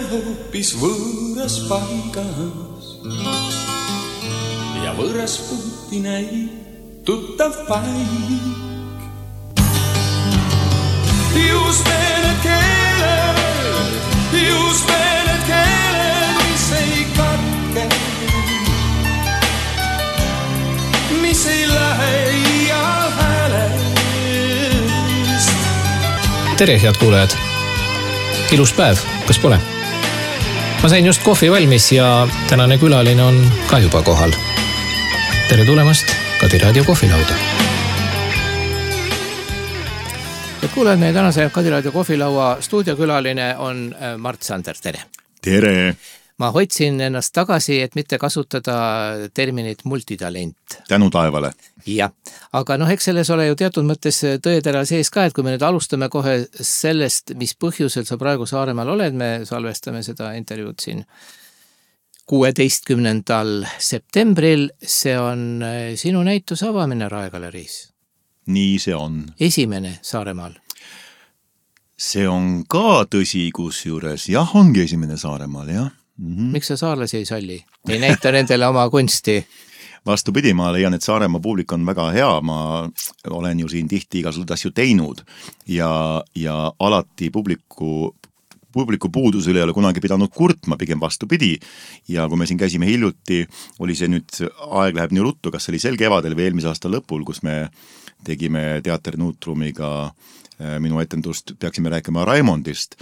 hoopis võõras paigas ja võõras puuti näib tuttav paik. Just need keeled, mis ei katke, mis ei lähe iial häälest. Tere, head kuulajad! Ilus päev, kas pole? Ma sain just kohvi valmis ja tänane külaline on ka juba kohal. Tere tulemast Kadi Raadio kohvilauda. Ja kuulajad, meie tänase Kadi Raadio kohvilaua stuudiokülaline on Mart Sander. Tere! Tere! Ma hoidsin ennast tagasi, et mitte kasutada terminit multitalent. Tänu taevale. Jah, aga eks selles ole ju teatud mõttes tõetera sees ka, et kui me nüüd alustame kohe sellest, mis põhjusel sa praegu Saaremaal oled, me salvestame seda intervjuud siin 16. septembril, see on sinu näituse avamine Raegaleriis. Nii see on. Esimene Saaremaal. See on ka tõsi kusjuures. Jah, ongi esimene Saaremaal, jah. Miks sa saarlasi ei salli? Ei näita nendele oma kunsti? Vastupidi, ma leian, et Saaremaa publik on väga hea. Ma olen ju siin tihti igasugused asju teinud ja alati publiku puudusele ei ole kunagi pidanud kurtma, pigem vastupidi. Ja kui me siin käisime hiljuti, oli see nüüd, aeg läheb nii ruttu, kas oli sel kevadel või eelmise aasta lõpul, kus me tegime Teater Nuutrumiga minu etendust, peaksime rääkima Raimondist,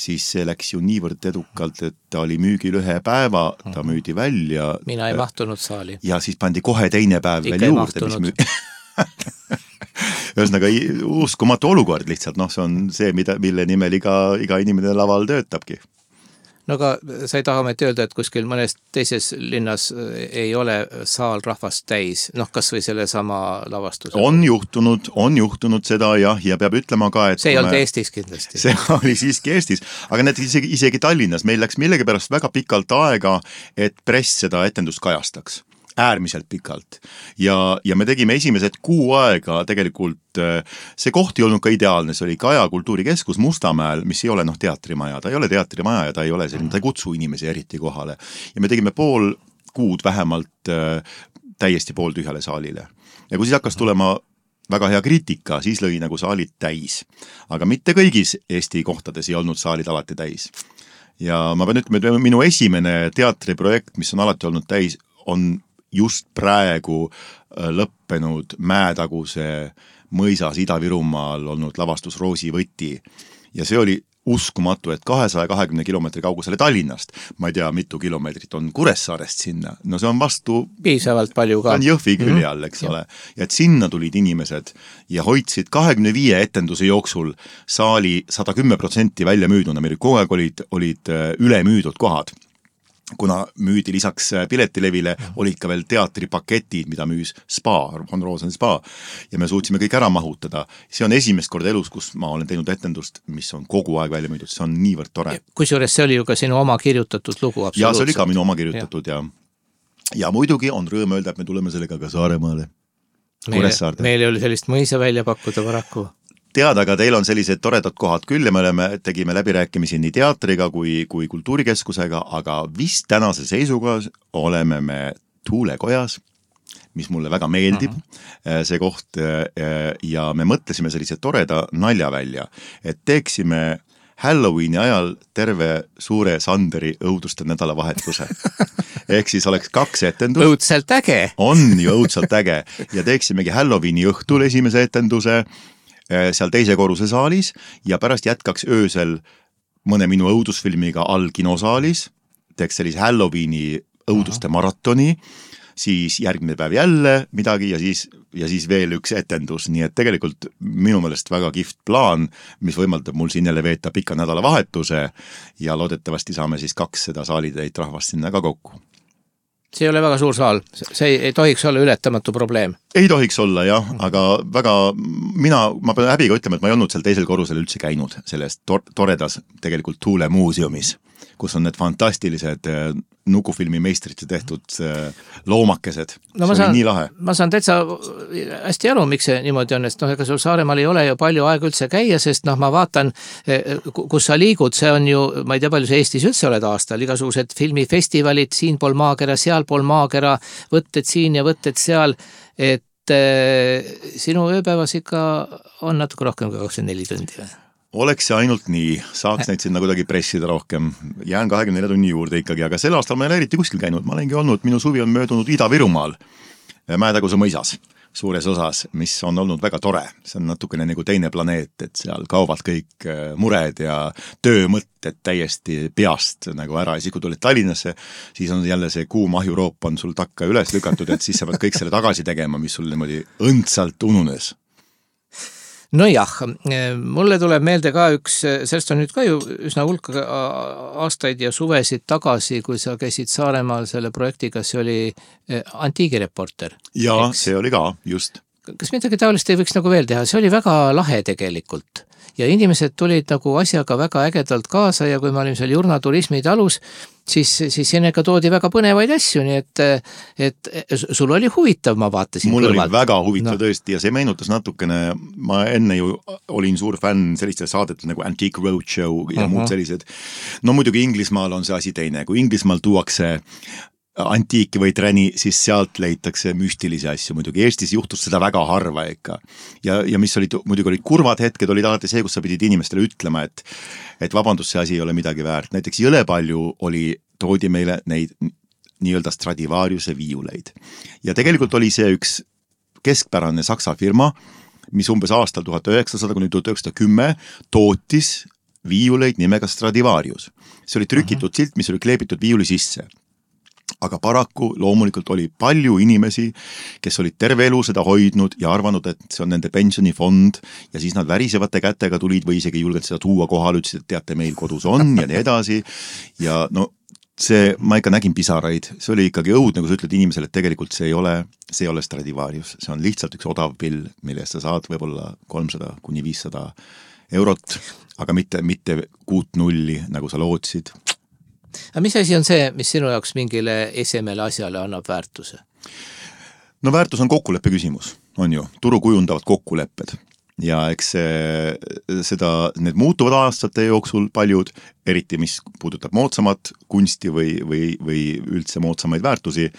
siis see läks ju niivõrd edukalt, et ta oli müügil 1 päeva, ta müüdi välja. Mina ei mahtunud saali. Ja siis pandi kohe teine päev Ikka veel juurde. Ühesõnaga uskumatu olukord lihtsalt, see on see, mille nimel iga inimene laval töötabki. No aga sa ei taha meid öelda, et kuskil mõnes teises linnas ei ole saal rahvast täis, kas või selle sama lavastuse? On juhtunud seda ja peab ütlema ka, et... See ei olnud Eestis kindlasti. See oli siiski Eestis, aga need isegi Tallinnas. Meil läks millegipärast väga pikalt aega, et press seda etendust kajastaks. Äärmiselt pikalt. Ja me tegime esimesed 6 aega tegelikult, see koht ei olnud ka ideaalne, see oli Kaja kultuurikeskus Mustamäel, mis ei ole teatrimaja, ta ei ole teatrimaja ja ta ei ole selline, ta ei kutsu inimesi eriti kohale. Ja me tegime pool kuud vähemalt täiesti pooltühjale saalile. Ja kui siis hakkas tulema väga hea kriitika, siis lõi nagu saalid täis. Aga mitte kõigis Eesti kohtades ei olnud saalid alati täis. Ja ma pean ütlema, et minu esimene teatriprojekt, mis on alati olnud täis, on just praegu lõppenud Mäetaguse mõisas Ida-Virumaal olnud lavastus Roosi võti. Ja see oli uskumatu, et 220 kilomeetri kaugusele Tallinnast, ma ei tea, mitu kilomeetrit on Kuressaarest sinna. No see on vastu... Piisavalt palju ka. On Jõhvi külje all, eks ole. Ja et sinna tulid inimesed ja hoidsid 25 etenduse jooksul saali 110% välja müüduna. Meil kogu aeg olid ülemüüdud kohad. Kuna müüdi lisaks piletilevile, olid ka veel teatripaketid, mida müüs Spa, Von Rosen Spa, ja me suutsime kõik ära mahutada. See on esimest korda elus, kus ma olen teinud etendust, mis on kogu aeg välja müüdud. See on niivõrd tore. Kusjuures see oli ju ka sinu oma kirjutatud lugu. Ja see oli ka minu oma kirjutatud ja muidugi on rõõm öelda, et me tuleme sellega ka Saaremaale. Meil oli sellist mõisa välja pakkuda paraku. Teada, aga teil on sellised toredad kohad küll ja me tegime läbirääkimisi nii teatriga kui kultuurikeskusega, aga vist tänase seisuga oleme me Tuulekojas, mis mulle väga meeldib, see koht, ja me mõtlesime sellise toreda nalja välja, et teeksime Halloweeni ajal terve suure Sanderi õuduste nädalavahetuse. Ehk siis oleks 2 etendust. Õudselt äge! On ju õudselt äge. Ja teeksimegi Halloweeni õhtul esimese etenduse seal teise korruse saalis ja pärast jätkaks öösel mõne minu õudusfilmiga all kinosaalis, teeks sellise Halloweeni õuduste maratoni, siis järgmine päev jälle midagi ja siis veel üks etendus, nii et tegelikult minu meelest väga kihvt plaan, mis võimaldab mul siin jälle veeta pika nädalavahetuse ja loodetavasti saame siis 200 saalitäit rahvast sinna ka kokku. See ei ole väga suur saal, see ei tohiks olla ületamatu probleem. Ei tohiks olla, jah, aga väga, ma pean häbiga ütlema, et ma ei olnud seal teisel korrusel üldse käinud selles toredas tegelikult Tuule muuseumis, kus on need fantastilised nukufilmi meistrite tehtud loomakesed. No see oli nii lahe. Ma saan täitsa hästi aru, miks see niimoodi on, sest ega sul Saaremaal ei ole ju palju aega üldse käia, sest ma vaatan, kus sa liigud, see on ju, ma ei tea, palju sa Eestis üldse oled aastal, igasugused filmifestivalid, siin pool maakera, seal pool maakera, võtted siin ja võtted seal, et sinu ööpäevas ikka on natuke rohkem kui 24 tundi või? Oleks see ainult nii, saaks neid sinna kuidagi pressida rohkem, jään 24 tunni juurde ikkagi, aga sel aastal ma ei ole eriti kuskil käinud, ma olengi olnud, minu suvi on möödunud Ida-Virumaal, Mäetaguse mõisas, suures osas, mis on olnud väga tore, see on natukene nagu teine planeet, et seal kaovad kõik mured ja töömõtted täiesti peast nagu ära ja siis, kui tulid Tallinnasse, siis on jälle see kuum ahjuroop on sul takka üles lükatud, et siis sa pead kõik selle tagasi tegema, mis sul niimoodi õndsalt ununes. No jah, mulle tuleb meelde ka üks, sellest on nüüd ka ju üsna hulka aastaid ja suvesid tagasi, kui sa käisid Saaremaal selle projektiga, see oli Antiigireporter. Jaa, see oli ka, just. Kas midagi taolist ei võiks nagu veel teha? See oli väga lahe tegelikult. Ja inimesed tulid nagu asjaga väga ägedalt kaasa ja kui me olime seal Jurnaturismi talus, siis ennega toodi väga põnevaid asju, nii et sul oli huvitav, ma vaatasin mul kõrvalt. Oli väga huvitav tõesti ja see meenutas natukene, ma enne ju olin suur fänn selliste saadetel nagu Antique Roadshow ja muud sellised. No muidugi Inglismaal on see asi teine, kui Inglismaal tuuakse antiiki või träni, siis sealt leitakse müstilisi asju. Muidugi Eestis juhtus seda väga harva ikka. Ja mis muidugi olid kurvad hetked, olid alati see, kus sa pidid inimestele ütlema, et vabandust, see asi ei ole midagi väärt. Näiteks jõle palju toodi meile neid nii-öelda Stradivariuse viiuleid. Ja tegelikult oli see üks keskpärane saksa firma, mis umbes aastal 1900–1910 tootis viiuleid nimega Stradivarius. See oli trükitud silt, mis oli kleebitud viiuli sisse. Aga paraku loomulikult oli palju inimesi, kes olid terve elu seda hoidnud ja arvanud, et see on nende pensionifond ja siis nad värisevate kätega tulid või isegi julgelt seda tuua kohal, ütlesid, et teate, meil kodus on ja nii edasi. Ja no see, ma ikka nägin pisaraid, see oli ikkagi õudne, kui sa ütled inimesele, et tegelikult see ei ole Stradivarius, see on lihtsalt üks odav pill, millest sa saad võib-olla 300–500 eurot, aga mitte 6-0, nagu sa lootsid. Aga mis asi on see, mis sinu jaoks mingile esemele asjale annab väärtuse? No väärtus on kokkuleppe küsimus, on ju. Turu kujundavad kokkulepped. Ja eks need muutuvad aastate jooksul paljud, eriti mis puudutab moodsamat kunsti või üldse moodsamaid väärtusi.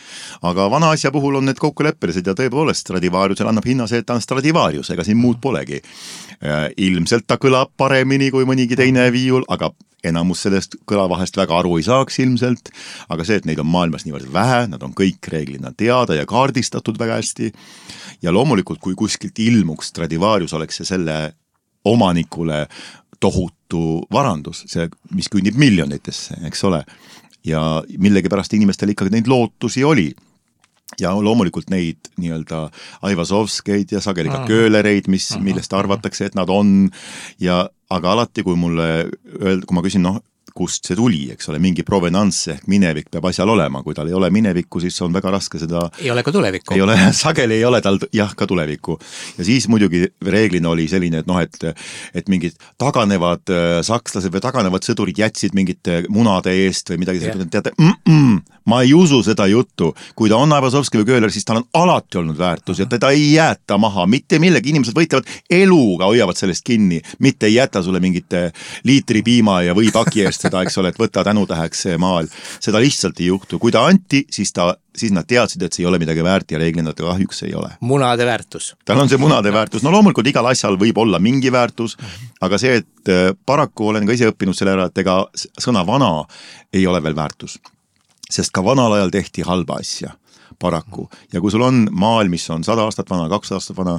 Aga vana asja puhul on need kokkuleppelised ja tõepoolest Stradivariusel annab hinna see, et ta on Stradivarius, ega siin muud polegi. Ilmselt ta kõlab paremini kui mõnigi teine viiul, aga enamus sellest kõlavahest väga aru ei saaks ilmselt, aga see, et neid on maailmas niivõrd vähe, nad on kõik reeglina teada ja kaardistatud väga hästi ja loomulikult, kui kuskilt ilmuks Stradivarius, oleks see selle omanikule tohutu varandus, see, mis kündib miljonitesse, eks ole, ja millegipärast inimestel ikkagi neid lootusi oli. Ja loomulikult neid nii-öelda Aivazovskeid ja sageli ka köölereid, millest arvatakse, et nad on aga alati, kui ma küsin, kust see tuli, eks ole, mingi provenance ehk minevik peab asjal olema, kui tal ei ole minevikku, siis on väga raske seda... Ei ole ka tulevikku. Sageli ei ole tal ka tulevikku. Ja siis muidugi reeglina oli selline, et mingid taganevad sakslased või taganevad sõdurid jätsid mingite munade eest või midagi sellist, teate, ma ei usu seda juttu. Kui ta on Aivazovski või Kööler, siis tal on alati olnud väärtus ja teda ei jäeta maha. Mitte millegi, inimesed võitlevad eluga, hoiavad sellest kinni. Mitte ei jäta sulle mingite liitri piima ja või paki eest seda, eks ole, et võtta tänutäheks see maal. Seda lihtsalt ei juhtu. Kui ta anti, siis nad teadsid, et see ei ole midagi väärt ja reeglina ta kahjuks ei ole. Munade väärtus. Tal on see munade väärtus. No loomulikult igal asjal võib olla mingi väärtus, aga see, et paraku olen ka ise õppinud selle ära, et ega sõna vana ei ole veel väärtus. Sest ka vanal ajal tehti halba asja. Paraku. Ja kui sul on maal, mis on 100 aastat vana, 200 aastat vana,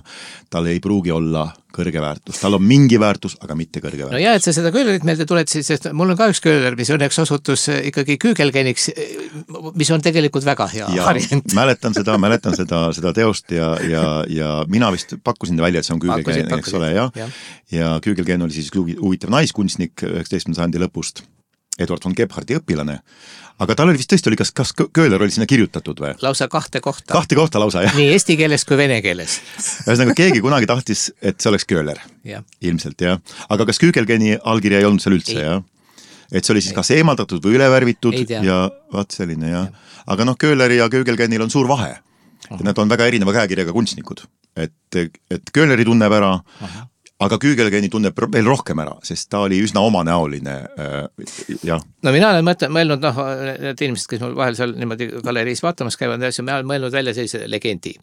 tal ei pruugi olla kõrge väärtus. Tal on mingi väärtus, aga mitte kõrge väärtus. No ja, et sa seda köölerit meelde tuletasid, sest mul on ka üks kööler, mis õnneks osutus ikkagi küügelgeniks, mis on tegelikult väga hea variant. Mäletan seda teost ja mina vist pakkusin välja, et see on küügelgen, eks ole, ja küügelgen oli siis huvitav naiskunstnik 19. sajandi lõpust, Eduard von Gebhardi õpilane. Aga tal oli vist tõesti, kas Kööler oli sinna kirjutatud või? Lausa kahte kohta. Kahte kohta lausa, jah. Nii eesti keeles kui vene keeles. Ühesõnaga, keegi kunagi tahtis, et see oleks Kööler. Ilmselt, jah. Aga kas Küügelgeni allkirja ei olnud seal üldse, jah? et see oli siis kas eemaldatud või ülevärvitud ja vaat selline ja. Aga Köhleri ja Köögelkennil on suur vahe. Nad on väga erineva käekirjaga kunstnikud, et Köhleri tunneb ära, aga Köögelkenni tunneb veel rohkem ära, sest ta oli üsna omanäoline. Ja. No mina olen mõelnud, need inimesed, kes mul vahel seal niimoodi galeriis vaatamas käivad, me olen mõelnud välja sellise legendi,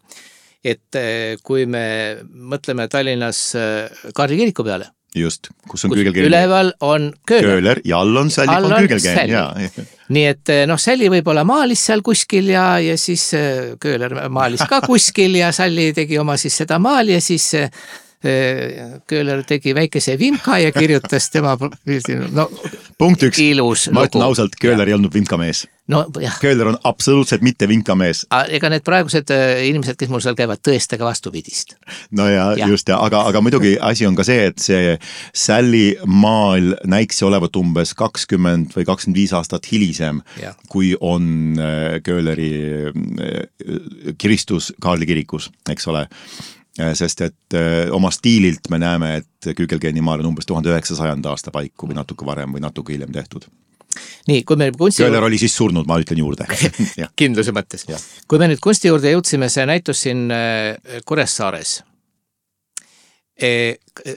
et kui me mõtleme Tallinnas Kaarli kiriku peale, just, kus on Köögelkenn. Üleval on Köhler ja all on Sälli on Köögelkenn. Nii et Sälli võib-olla maalis seal kuskil ja siis Köhler maalis ka kuskil ja Sälli tegi oma siis seda maali ja siis Köhler tegi väikese vimka ja kirjutas tema punkt 1, ilus ma ütlen ausalt, Köhler ei olnud vimkamees. No, jah. Köhler on absoluutselt mitte vinkamees. Ega need praegused inimesed, kes mul seal käivad, tõestage vastupidist. No ja. Just, aga muidugi asi on ka see, et see Sälli maal näiksi olevat umbes 20 või 25 aastat hilisem, kui on Köhleri kiristus Kaarli kirikus, eks ole. Sest et oma stiililt me näeme, et Köögelkenni maal on umbes 1900 aasta paiku või natuke varem või natuke hiljem tehtud. Nii, kui me kunsti... Köhler oli siis surnud, ma ütlen juurde. Kindluse mõttes. Kui me nüüd kunsti juurde jõudsime, see näitus siin Kuressaares.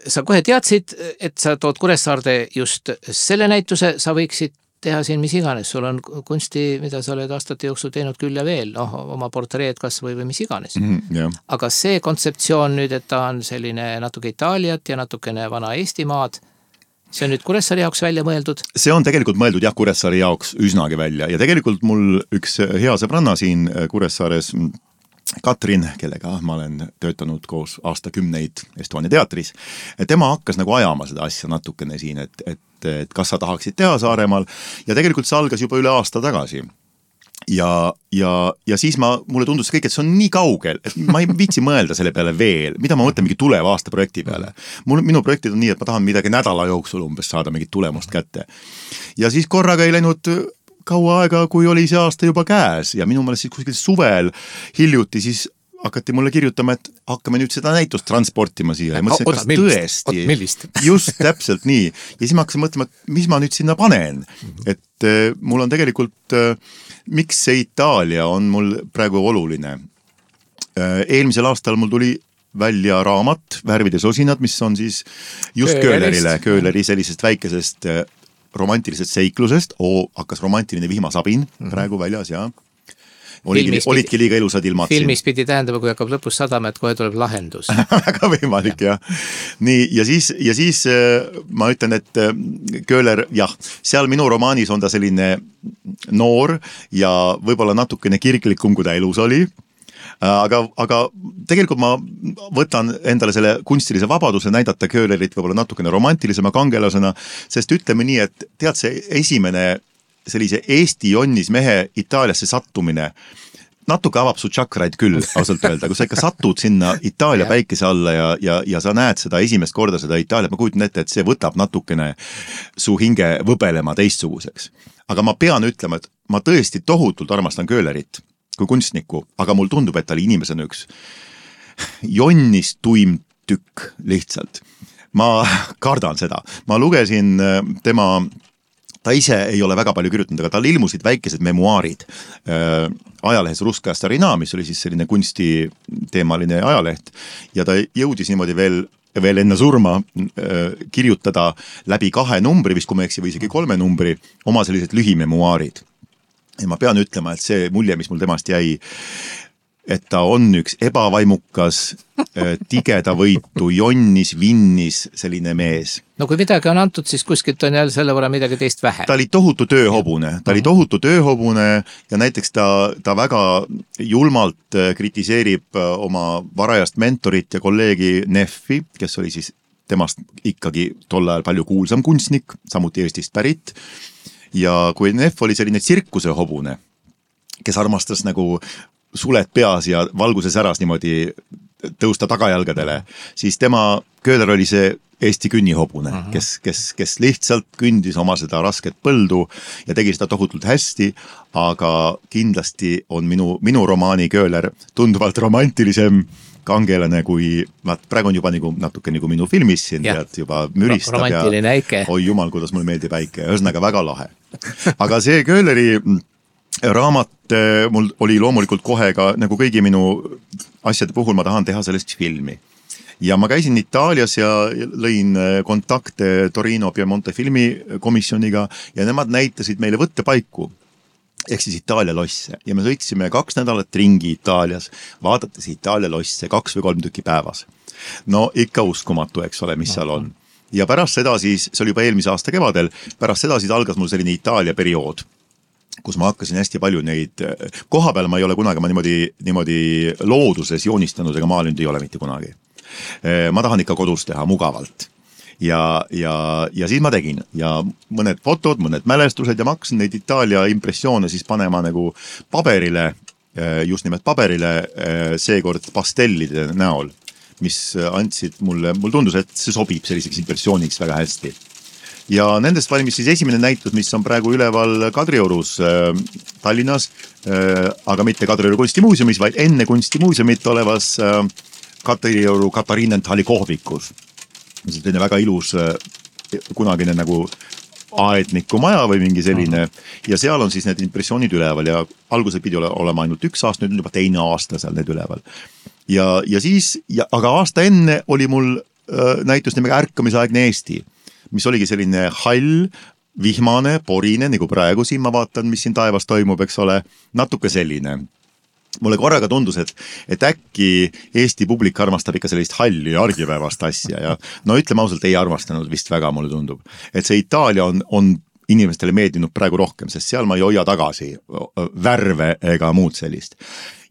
Sa kohe teadsid, et sa tood Kuressaarde just selle näituse, sa võiksid teha siin mis iganes, sul on kunsti, mida sa oled aastate jooksul teinud küll ja veel, oma portreed kas või mis iganes. Aga see kontseptsioon nüüd, et ta on selline natuke Itaaliat ja natukene vana Eestimaad, see on nüüd Kuressaare jaoks välja mõeldud? See on tegelikult mõeldud Kuressaare jaoks üsnagi välja ja tegelikult mul üks hea sõbranna siin Kuressaares, Katrin, kellega ma olen töötanud koos aastakümneid Estonia teatris, tema hakkas nagu ajama seda asja natukene siin, et kas sa tahaksid teha Saaremaal ja tegelikult see algas juba üle aasta tagasi. Ja siis mulle tundus kõik, et see on nii kaugel, et ma ei viitsi mõelda selle peale veel, mida ma mõtlen mingi tuleva aasta projekti peale. Minu projektid on nii, et ma tahan midagi nädala jooksul umbes saada mingit tulemust kätte. Ja siis korraga ei läinud kaua aega, kui oli see aasta juba käes ja minu meelest siis kuskil suvel hiljuti siis hakati mulle kirjutama, et hakkame nüüd seda näitust transportima siia. Ja mõtlesin, kas tõesti? Millist? Just, täpselt nii. Ja siis ma hakkasin mõtlema, et mis ma nüüd sinna panen. Et mul on tegelikult, miks see Itaalia on mul praegu oluline. Eelmisel aastal mul tuli välja raamat Värvides osinad, mis on siis just Köhleri sellisest väikesest romantilisest seiklusest, hakkas romantiline vihmasabin praegu väljas ja olidki liiga ilusad ilmad. Filmis pidi tähendama, kui hakkab lõpus sadama, et kohe tuleb lahendus. Väga võimalik, jah. Nii, ja siis ma ütlen, et Köhler, seal minu romaanis on ta selline noor ja võib-olla natukene kirglikum, kui ta elus oli. Aga tegelikult ma võtan endale selle kunstilise vabaduse näidata Köhlerit võib-olla natukene romantilisema kangelasena, sest ütleme nii, et tead see esimene sellise Eesti jonnis mehe Itaaliasse sattumine natuke avab su tšakraid küll, ausalt öelda, kui sa ikka satud sinna Itaalia päikese alla ja sa näed seda esimest korda seda Itaaliat, ma kujutan ette, et see võtab natukene su hinge võbelema teistsuguseks. Aga ma pean ütlema, et ma tõesti tohutult armastan Köhlerit kui kunstniku, aga mul tundub, et ta oli inimesena üks jonnis tuim tükk lihtsalt. Ma kardan seda. Ma lugesin ta ise ei ole väga palju kirjutanud, aga tal ilmusid väikesed memuaarid ajalehes Ruskaya Starina, mis oli siis selline kunstiteemaline ajaleht ja ta jõudis niimoodi veel enne surma kirjutada läbi 2 numbri, vist kui ma eksi või isegi 3 numbri, oma sellised lühimemuaarid. Ja ma pean ütlema, et see mulje, mis mul temast jäi, et ta on üks ebavaimukas, tigeda võitu, jonnis, vinnis, selline mees. No kui midagi on antud, siis kuskilt on jälle selle võrra midagi teist vähe. Ta oli tohutu tööhobune ja näiteks ta väga julmalt kritiseerib oma varajast mentorit ja kolleegi Neffi, kes oli siis temast ikkagi tol ajal palju kuulsam kunstnik, samuti Eestist pärit. Ja kui Neff oli selline tsirkuse hobune, kes armastas nagu suled peas ja valguses äras niimoodi tõusta tagajalgadele, siis Köhler oli see Eesti künnihobune, kes lihtsalt kündis oma seda rasket põldu ja tegi seda tohutult hästi, aga kindlasti on minu romaani Köhler tunduvalt romantilisem kangelane, kui praegu on juba natuke nagu minu filmis siin, tead, juba müristab romantiline äike. Oi jumal, kuidas mulle meeldib äike, ühesõnaga väga lahe. Aga see Köhleri raamat mul oli loomulikult kohe ka nagu kõigi minu asjade puhul ma tahan teha sellest filmi. Ja ma käisin Itaalias ja lõin kontakte Torino Piemonte filmikomisjoniga ja nemad näitasid meile võttepaiku ehk siis Itaalia losse ja me sõitsime 2 nädalat ringi Itaalias, vaadates Itaalia losse 2 või 3 tükki päevas. No ikka uskumatu, eks ole, mis seal on. Ja pärast seda siis, see oli juba eelmise aasta kevadel, pärast seda siis algas mul selline Itaalia periood, kus ma hakkasin hästi palju neid, koha peal ma ei ole kunagi, ma niimoodi looduses joonistanud ega maalinud ei ole mitte kunagi. Ma tahan ikka kodus teha mugavalt. Ja siis ma tegin ja mõned fotod, mõned mälestused ja ma hakkasin neid Itaalia impressioone siis panema nagu paberile, just nimelt paberile, seekord pastellide näol, mis andsid mulle tundus, et see sobib selliseks impressiooniks väga hästi. Ja nendest valmis siis esimene näitus, mis on praegu üleval Kadriorus Tallinnas, aga mitte Kadrioru kunstimuuseumis, vaid enne kunstimuuseumit olevas Kadrioru Katariinenthali kohvikus. See on väga ilus kunagine nagu aedniku maja või mingi selline ja seal on siis need impressioonid üleval ja alguses pidi olema ainult 1 aasta, nüüd on juba 2 aasta seal need üleval. Ja siis, aga aasta enne oli mul näitus nimega Ärkamisaegne Eesti, mis oligi selline hall, vihmane, porine, nagu praegu siin ma vaatan, mis siin taevas toimub, eks ole, natuke selline. Mulle korraga tundus, et äkki Eesti publik armastab ikka sellist halli ja argipäevast asja ja no ütleme ausalt, ei armastanud vist väga, mulle tundub. Et see Itaalia on inimestele meeldinud praegu rohkem, sest seal ma ei hoia tagasi värve ega muud sellist.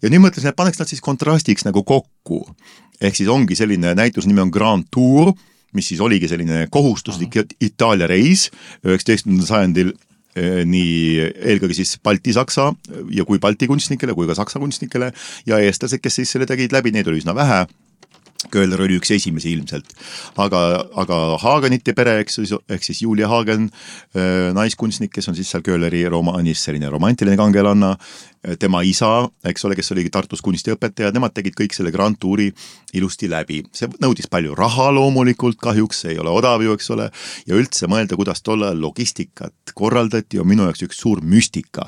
Ja nüüd mõtlesin, et paneks nad siis kontrastiks nagu kokku. Ehk siis ongi selline näitus nimi on Grand Tour, mis siis oligi selline kohustuslik Itaalia reis 19. sajandil nii eelkõige siis Balti-Saksa ja kui Balti kunstnikele, kui ka Saksa kunstnikele ja eestlased, kes siis selle tegid läbi, neid oli üsna vähe. Köhler oli üks esimesi ilmselt, aga Hagenite pere, ehk siis Julia Hagen, naiskunstnik, kes on siis seal Köhleri romaanis selline romantiline kangelanna, tema isa, eks ole, kes oli Tartus kunstiõpetaja, nemad tegid kõik selle Grand Touri ilusti läbi. See nõudis palju raha loomulikult, kahjuks see ei ole odav ju, eks ole, ja üldse mõelda, kuidas tolle logistikat korraldati, on minu jaoks üks suur müstika.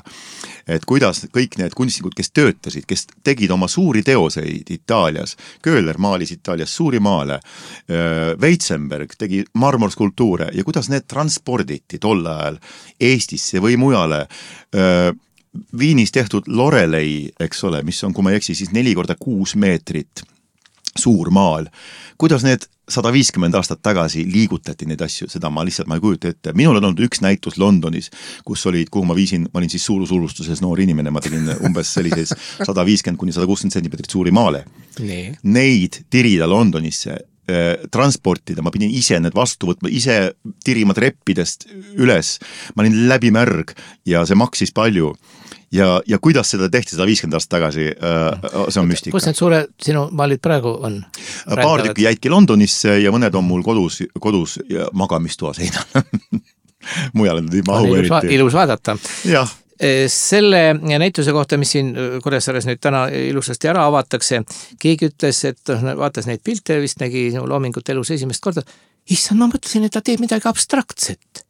Et kuidas kõik need kunstnikud, kes töötasid, kes tegid oma suuri teoseid Itaalias, Köhler maalis Itaalias suuri maale, Weitzenberg tegi marmorskulptuure ja kuidas need transporditi tol ajal Eestisse või mujale, Viinis tehtud Lorelei, eks ole, mis on, kui ma ei eksi, siis 4x6 meetrit suur maal. Kuidas need 150 aastat tagasi liigutati neid asju, seda ma lihtsalt ei kujuta ette. Minul on olnud üks näitus Londonis, kus olid, kuhu ma olin siis suurusurustuses noor inimene, ma tegin umbes sellises 150-160 cm suuri maale. Nee. Neid tirida Londonisse, transportida, ma pidin ise need vastu võtma, ise tirima treppidest üles, ma olin läbimärg ja see maksis palju. Ja kuidas seda tehti 150 aastat tagasi, see on müstika. Kus need suure sinu maalid praegu on? Paar tükki jäidki Londonisse ja mõned on mul kodus ja magamistoa seinal. Mujal on mahu eriti. Ilus vaadata. Jah. Selle näituse kohta, mis siin Kuressaares nüüd täna ilusasti ära avatakse, keegi ütles, et vaatas neid pilte, vist nägi loomingut elus esimest korda. Issand, ma mõtlesin, et ta teeb midagi abstraktset.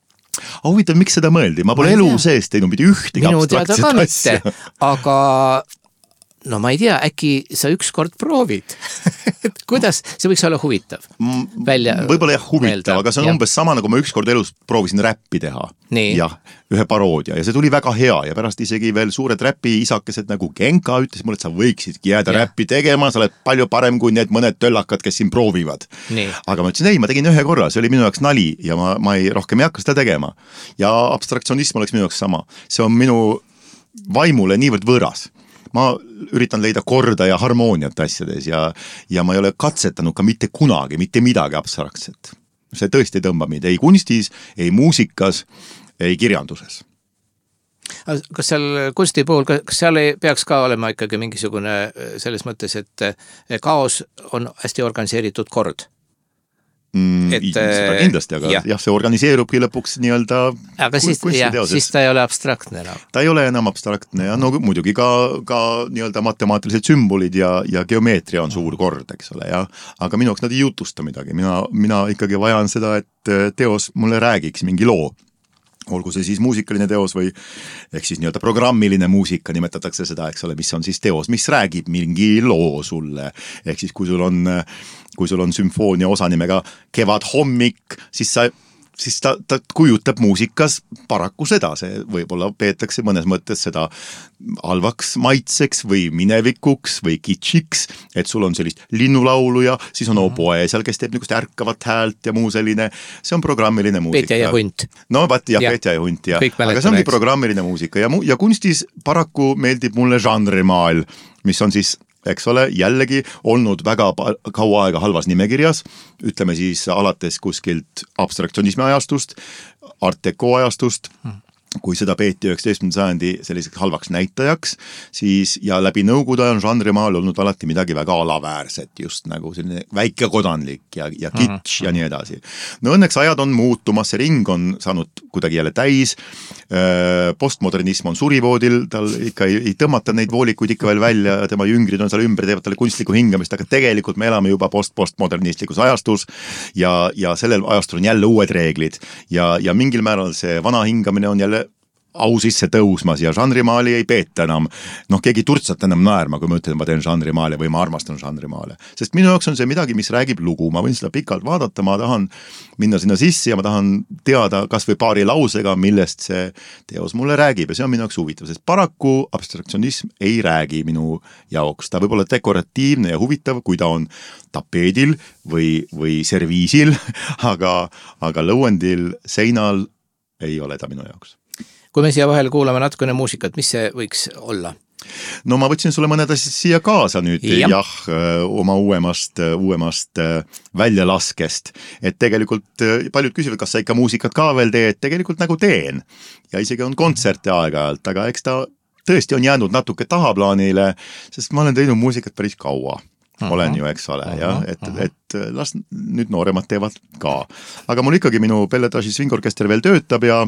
Huvitav, miks seda mõeldi? Ma pole elu sees teinud mitte ühtegi abstraktset asja. Aga no ma ei tea, äkki sa ükskord proovid. Kuidas? See võiks olla huvitav. Võib-olla jah huvitav, aga see on umbes sama, nagu ma ükskord elus proovisin räppi teha. Jah, ühe paroodia ja see tuli väga hea ja pärast isegi veel suured räppi isakesed nagu Genka ütles mulle, et sa võiksidki jääda räppi tegema, sa oled palju parem kui need mõned töllakad, kes siin proovivad. Aga ma ütlesin, ei, ma tegin ühe korra, see oli minu jaoks nali ja ma rohkem ei hakka seda tegema. Ja abstraktsionism oleks minu jaoks sama. See on minu vaimule niivõrd võõras. Ma üritan leida korda ja harmooniat asjades ja ma ei ole katsetanud ka mitte kunagi, mitte midagi abstraktset. See tõesti tõmbab mind ei kunstis, ei muusikas, ei kirjanduses. Kas seal kunsti puhul, kas seal ei peaks ka olema ikkagi mingisugune selles mõttes, et kaos on hästi organiseeritud kord? seda kindlasti, aga jah, see organiseerubki lõpuks nii-öelda aga siis ta ei ole abstraktne enam. Ta ei ole enam abstraktne ja no muidugi ka nii-öelda matemaatilised sümbolid ja geomeetria on suur kord, eks ole, ja aga minu jaoks nad ei jutusta midagi, mina ikkagi vajan seda, et teos mulle räägiks mingi loo. Olgu see siis muusikaline teos või ehk siis nii-öelda programmiline muusika nimetatakse seda, eks ole, mis on siis teos, mis räägib mingi loo sulle. Ehk siis kui sul on sümfoonia osa nimega Kevad hommik, siis ta kujutab muusikas paraku seda, see võib-olla peetakse mõnes mõttes seda halvaks maitseks või minevikuks või kitschiks, et sul on sellist linnulaulu ja siis on oboe seal, kes teeb niisugust ärkavat häält ja muu selline, see on programmiline muusika. Petja ja hunt. No Petja ja hunt, ja. Aga see ongi programmiline muusika ja kunstis paraku meeldib mulle žanrimaal, mis on siis eks ole, jällegi olnud väga kaua aega halvas nimekirjas, ütleme siis alates kuskilt abstraktsionismi ajastust, art deco ajastust, kui seda peeti 19. sajandi selliseks halvaks näitajaks, siis ja läbi nõukogude on žanrimaal olnud alati midagi väga alaväärset, just nagu selline väikekodanlik ja kitsch ja nii edasi. No õnneks ajad on muutumas, see ring on saanud kuidagi jälle täis, postmodernism on surivoodil, tal ikka ei tõmmata neid voolikuid ikka veel välja, tema jüngrid on seal ümber, teevad talle kunstlikku hingamist, aga tegelikult me elame juba postmodernistlikus ajastus ja sellel ajastul on jälle uued reeglid ja mingil määral see vana hingamine on jälle au sisse tõusmas ja žanrimaali ei peeta enam. Keegi turtsat enam naerma, kui ma ütlen, ma teen žanrimaale või ma armastan žanrimaale. Sest minu jaoks on see midagi, mis räägib lugu. Ma võin seda pikalt vaadata, ma tahan minna sinna sisse ja ma tahan teada kas või paari lausega, millest see teos mulle räägib ja see on minu jaoks huvitav, sest paraku abstraktsionism ei räägi minu jaoks. Ta võib olla dekoratiivne ja huvitav, kui ta on tapeedil või serviisil, aga lõuendil, seinal ei ole ta minu jaoks. Kui me siia vahel kuulame natukene muusikat, mis see võiks olla? No ma võtsin sulle mõned asjad siia kaasa nüüd, oma uuemast väljalaskest, et tegelikult paljud küsivad, kas sa ikka muusikat ka veel teed, tegelikult nagu teen ja isegi on kontserte aeg-ajalt, aga eks ta tõesti on jäänud natuke tahaplaanile, sest ma olen teinud muusikat päris kaua. Olen ju, eks ole, et las nüüd nooremad teevad ka. Aga mul ikkagi minu Belletaži swingorkester veel töötab ja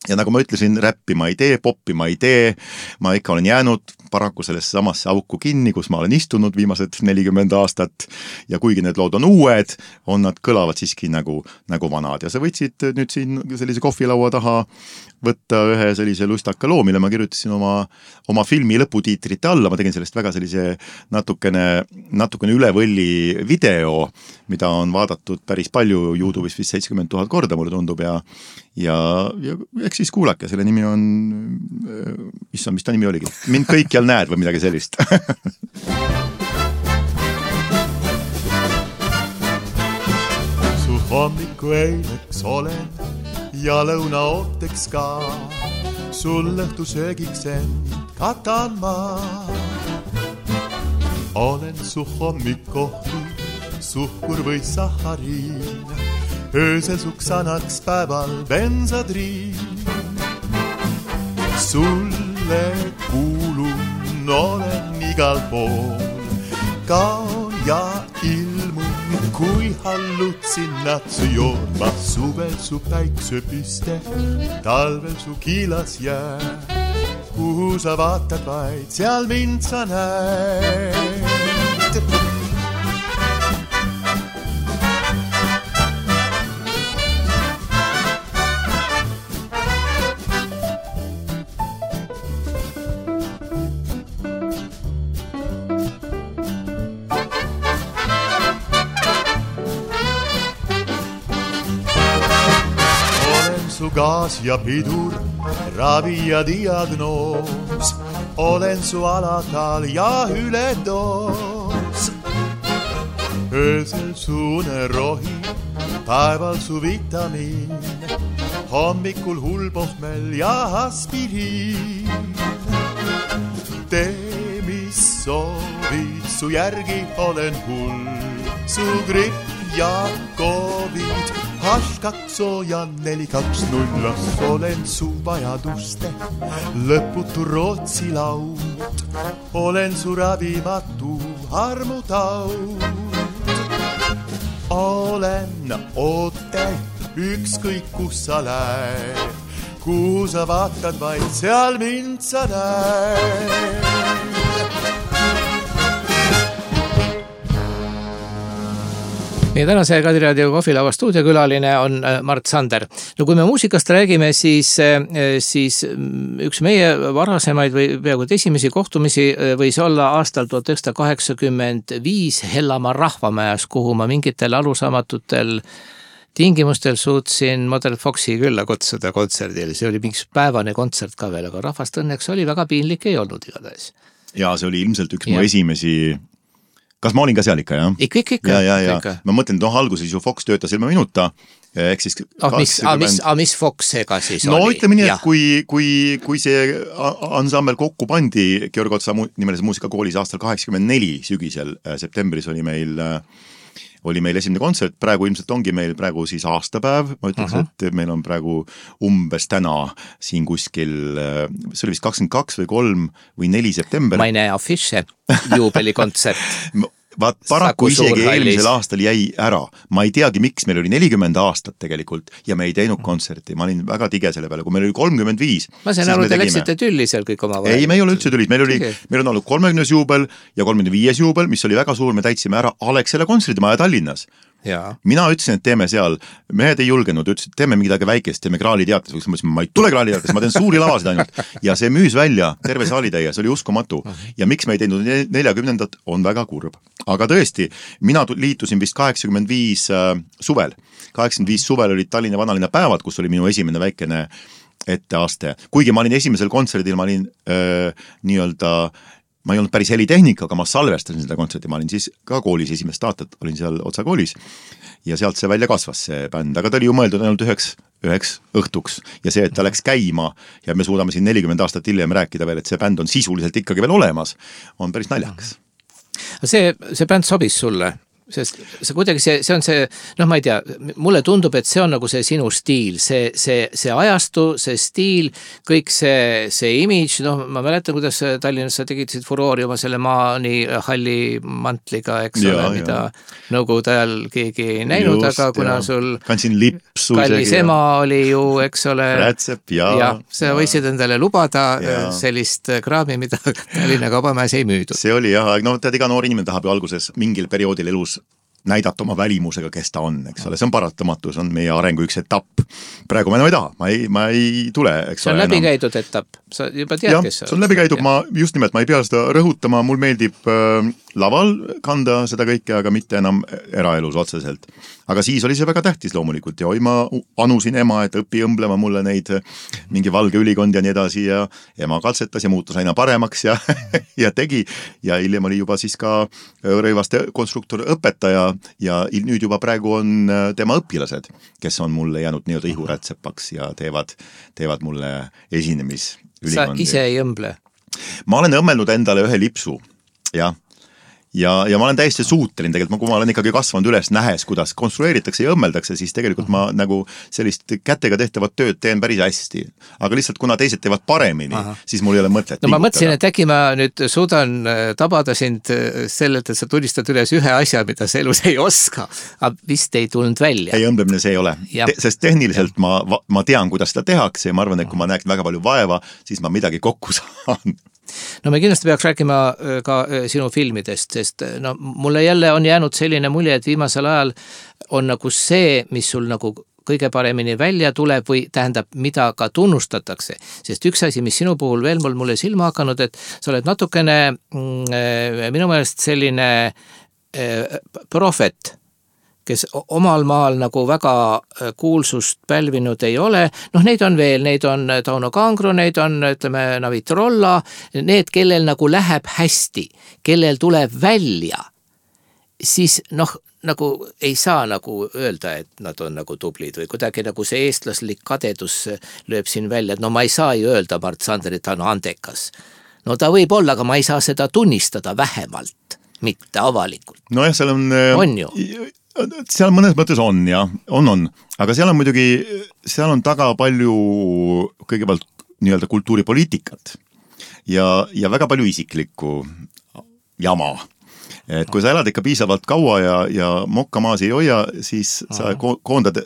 nagu ma ütlesin, räppi ma ei tee, poppi ma ei tee, ma ikka olen jäänud paraku sellesse samasse auku kinni, kus ma olen istunud viimased 40 aastat ja kuigi need lood on uued, nad kõlavad siiski nagu vanad ja sa võtsid nüüd siin sellise kohvilaua taha võtta ühe sellise lustaka loo, mille ma kirjutasin oma filmi lõputiitrite alla, ma tegin sellest väga sellise natukene üle võlli video, mida on vaadatud päris palju YouTube'is vist 70 000 korda, mulle tundub ja eks siis kuulake, selle nimi on mis ta nimi oligi? Mind kõikjal näed või midagi sellist. Su hommiku eileks olen ja lõunaooteks ka, sul õhtu söögiks end katan ma. Olen su hommikohvi, suhkur või sahariin, öösel suks annaks päeval bensodriin. Sulle kuulun, olen igal pool, kaon ja ilmun, kui hallutsinatsu joon. Suvel su päiksepiste, talvel su kiilas jää, kuhu sa vaatad vaid, seal mind sa näed. Gaas ja pidur, ravi ja diagnoos, olen su alakaal ja üledoos. Öösel su unerohi, päeval su vitamiin, hommikul hullpohmel ja aspiriin. Tee, mis soovid, su järgi olen hull, su gripp ja covid, H2O ja 420, olen su vajaduste lõputu Rootsi laud, olen su ravimatu armutaud. olen oote, ükskõik kus sa lähed. Kuhu sa vaatad vaid, seal mind sa näed. Meie tänase Kadiraadio kohvilauva stuudiokülaline on Mart Sander. No kui me muusikast räägime, siis üks meie varasemaid või peaaegu esimesi kohtumisi võis olla aastal 1985 Hellamaa rahvamäes, kuhu ma mingitel alusaamatutel tingimustel suutsin Model Foxi külla kutsuda kontserdil. See oli mingi päevane kontsert ka veel, aga rahvast õnneks oli väga piinlik, ei olnud igatahes. Ja see oli ilmselt üks mu esimesi... Kas ma olin ka seal ikka, jah? Ikka. Ja. Ma mõtlen, et alguses ju Fox töötas ilma minuta. Ehk siis 80... Mis Foxega siis oli? No ütleme nii, et kui see ansambel kokku pandi Georg Otsa nimelises muusikakoolis aastal 84 sügisel, septembris oli meil esimene kontsert, praegu ilmselt ongi meil praegu siis aastapäev, ma ütleks, et meil on praegu umbes täna siin kuskil, see oli vist 22 või 3 või 4 september. Ma ei näe afiše, juubelikontsert. Vaat paraku isegi eelmisel aastal jäi ära. Ma ei teagi, miks meil oli 40 aastat tegelikult ja me ei teinud kontserti. Ma olin väga tige selle peale, kui meil oli 35. Ma sain aru, te läksite tülli seal kõik oma vahel. Ei, me ei ole üldse tüllis. Meil on olnud 30. juubel ja 35. juubel, mis oli väga suur. Me täitsime ära Alexela kontserdimaja Tallinnas. Ja. Mina ütlesin, et teeme seal, mehed ei julgenud, ütlesid, et teeme midagi väikest, teeme Graali teates, ma ei tule Graali teates, ma teen suuri lavasid ainult. Ja see müüs välja terve saalitäie, see oli uskumatu. Ja miks me ei teinud 40. on väga kurb. Aga tõesti, mina liitusin vist 85 suvel. 85 suvel olid Tallinna vanalinna päevad, kus oli minu esimene väikene etteaste. Kuigi ma olin esimesel kontserdil, ma olin ma ei olnud päris helitehnika, aga ma salvestasin seda kontserti, ma olin siis ka koolis esimest aastat, olin seal Otsa koolis ja sealt see välja kasvas see bänd, aga ta oli ju mõeldud ainult üheks õhtuks ja see, et ta läks käima ja me suudame siin 40 aastat hiljem rääkida veel, et see bänd on sisuliselt ikkagi veel olemas, on päris naljakas. See bänd sobis sulle? Sest see kuidagi see on see, ma ei tea, mulle tundub, et see on nagu see sinu stiil, see ajastu, see stiil, kõik see image, ma mäletan, kuidas Tallinnas sa tegid furoori oma selle Maani halli mantliga, eks ole, mida nõukogude ajal keegi ei näinud, aga kuna sul kandsin lipsu kallis ema oli ju, eks ole, rätsep ja sa võisid endale lubada sellist kraami, mida Tallinna kaubamäes ei müüdud. See oli tead, iga noor inimene tahab ju alguses mingil perioodil elus näidata oma välimusega, kes ta on, eks ole, see on paratamatu, see on meie arengu üks etapp. Praegu ma enam ei taha, ma ei tule, eks ole. See on läbikäidud etapp, sa juba tead, kes see on läbikäidud, just nimelt, ma ei pea seda rõhutama, mul meeldib laval kanda seda kõike, aga mitte enam eraelus otseselt. Aga siis oli see väga tähtis loomulikult ja ma anusin ema, et õppi õmblema mulle neid mingi valge ülikond ja nii edasi ja ema katsetas ja muutus aina paremaks ja tegi ja hiljem oli juba siis ka rõivaste konstruktor õpetaja ja nüüd juba praegu on tema õpilased, kes on mulle jäänud nii-öelda ihurätsepaks ja teevad mulle esinemisülikondi. Sa ise ei õmble? Ma olen õmmelnud endale ühe lipsu, jah. Ja ma olen täiesti suuteline tegelikult, kui ma olen ikkagi kasvanud üles nähes, kuidas konstrueeritakse ja õmmeldakse, siis tegelikult ma nagu sellist kätega tehtavat tööd teen päris hästi. Aga lihtsalt kuna teised teevad paremini, siis mul ei ole mõtlet. No ma mõtlesin, et äkki ma nüüd suudan tabada sind sellelt, et sa tunnistad üles ühe asja, mida sa elus ei oska, aga vist ei tulnud välja. Ei, õmblemine see ei ole. Sest tehniliselt ma tean, kuidas seda tehakse ja ma arvan, et kui ma näeks väga palju vaeva, siis ma midagi kokku saan. No me kindlasti peaks rääkima ka sinu filmidest, sest mulle jälle on jäänud selline mulje, et viimasel ajal on nagu see, mis sul nagu kõige paremini välja tuleb või tähendab, mida ka tunnustatakse. Sest üks asi, mis sinu puhul veel mulle silma hakanud, et sa oled natukene minu meelest selline profet, kes omal maal nagu väga kuulsust pälvinud ei ole. Neid on veel, neid on Tauno Kangro, neid on, ütleme, Navi Trolla, need, kellel nagu läheb hästi, kellel tuleb välja, siis nagu ei saa nagu öelda, et nad on nagu tublid või kuidagi nagu see eestlaslik kadedus lööb siin välja, et ma ei saa ju öelda Mart Sander, et ta on andekas. Ta võib olla, aga ma ei saa seda tunnistada vähemalt, mitte avalikult. Nojah, seal on ju. Seal mõnes mõttes on, jah, on. Aga seal on muidugi, seal on taga palju kõigepealt nii-öelda kultuuripoliitikat ja väga palju isiklikku jama. et kui sa elad ikka piisavalt kaua ja mokka maas ei hoia, siis sa koondad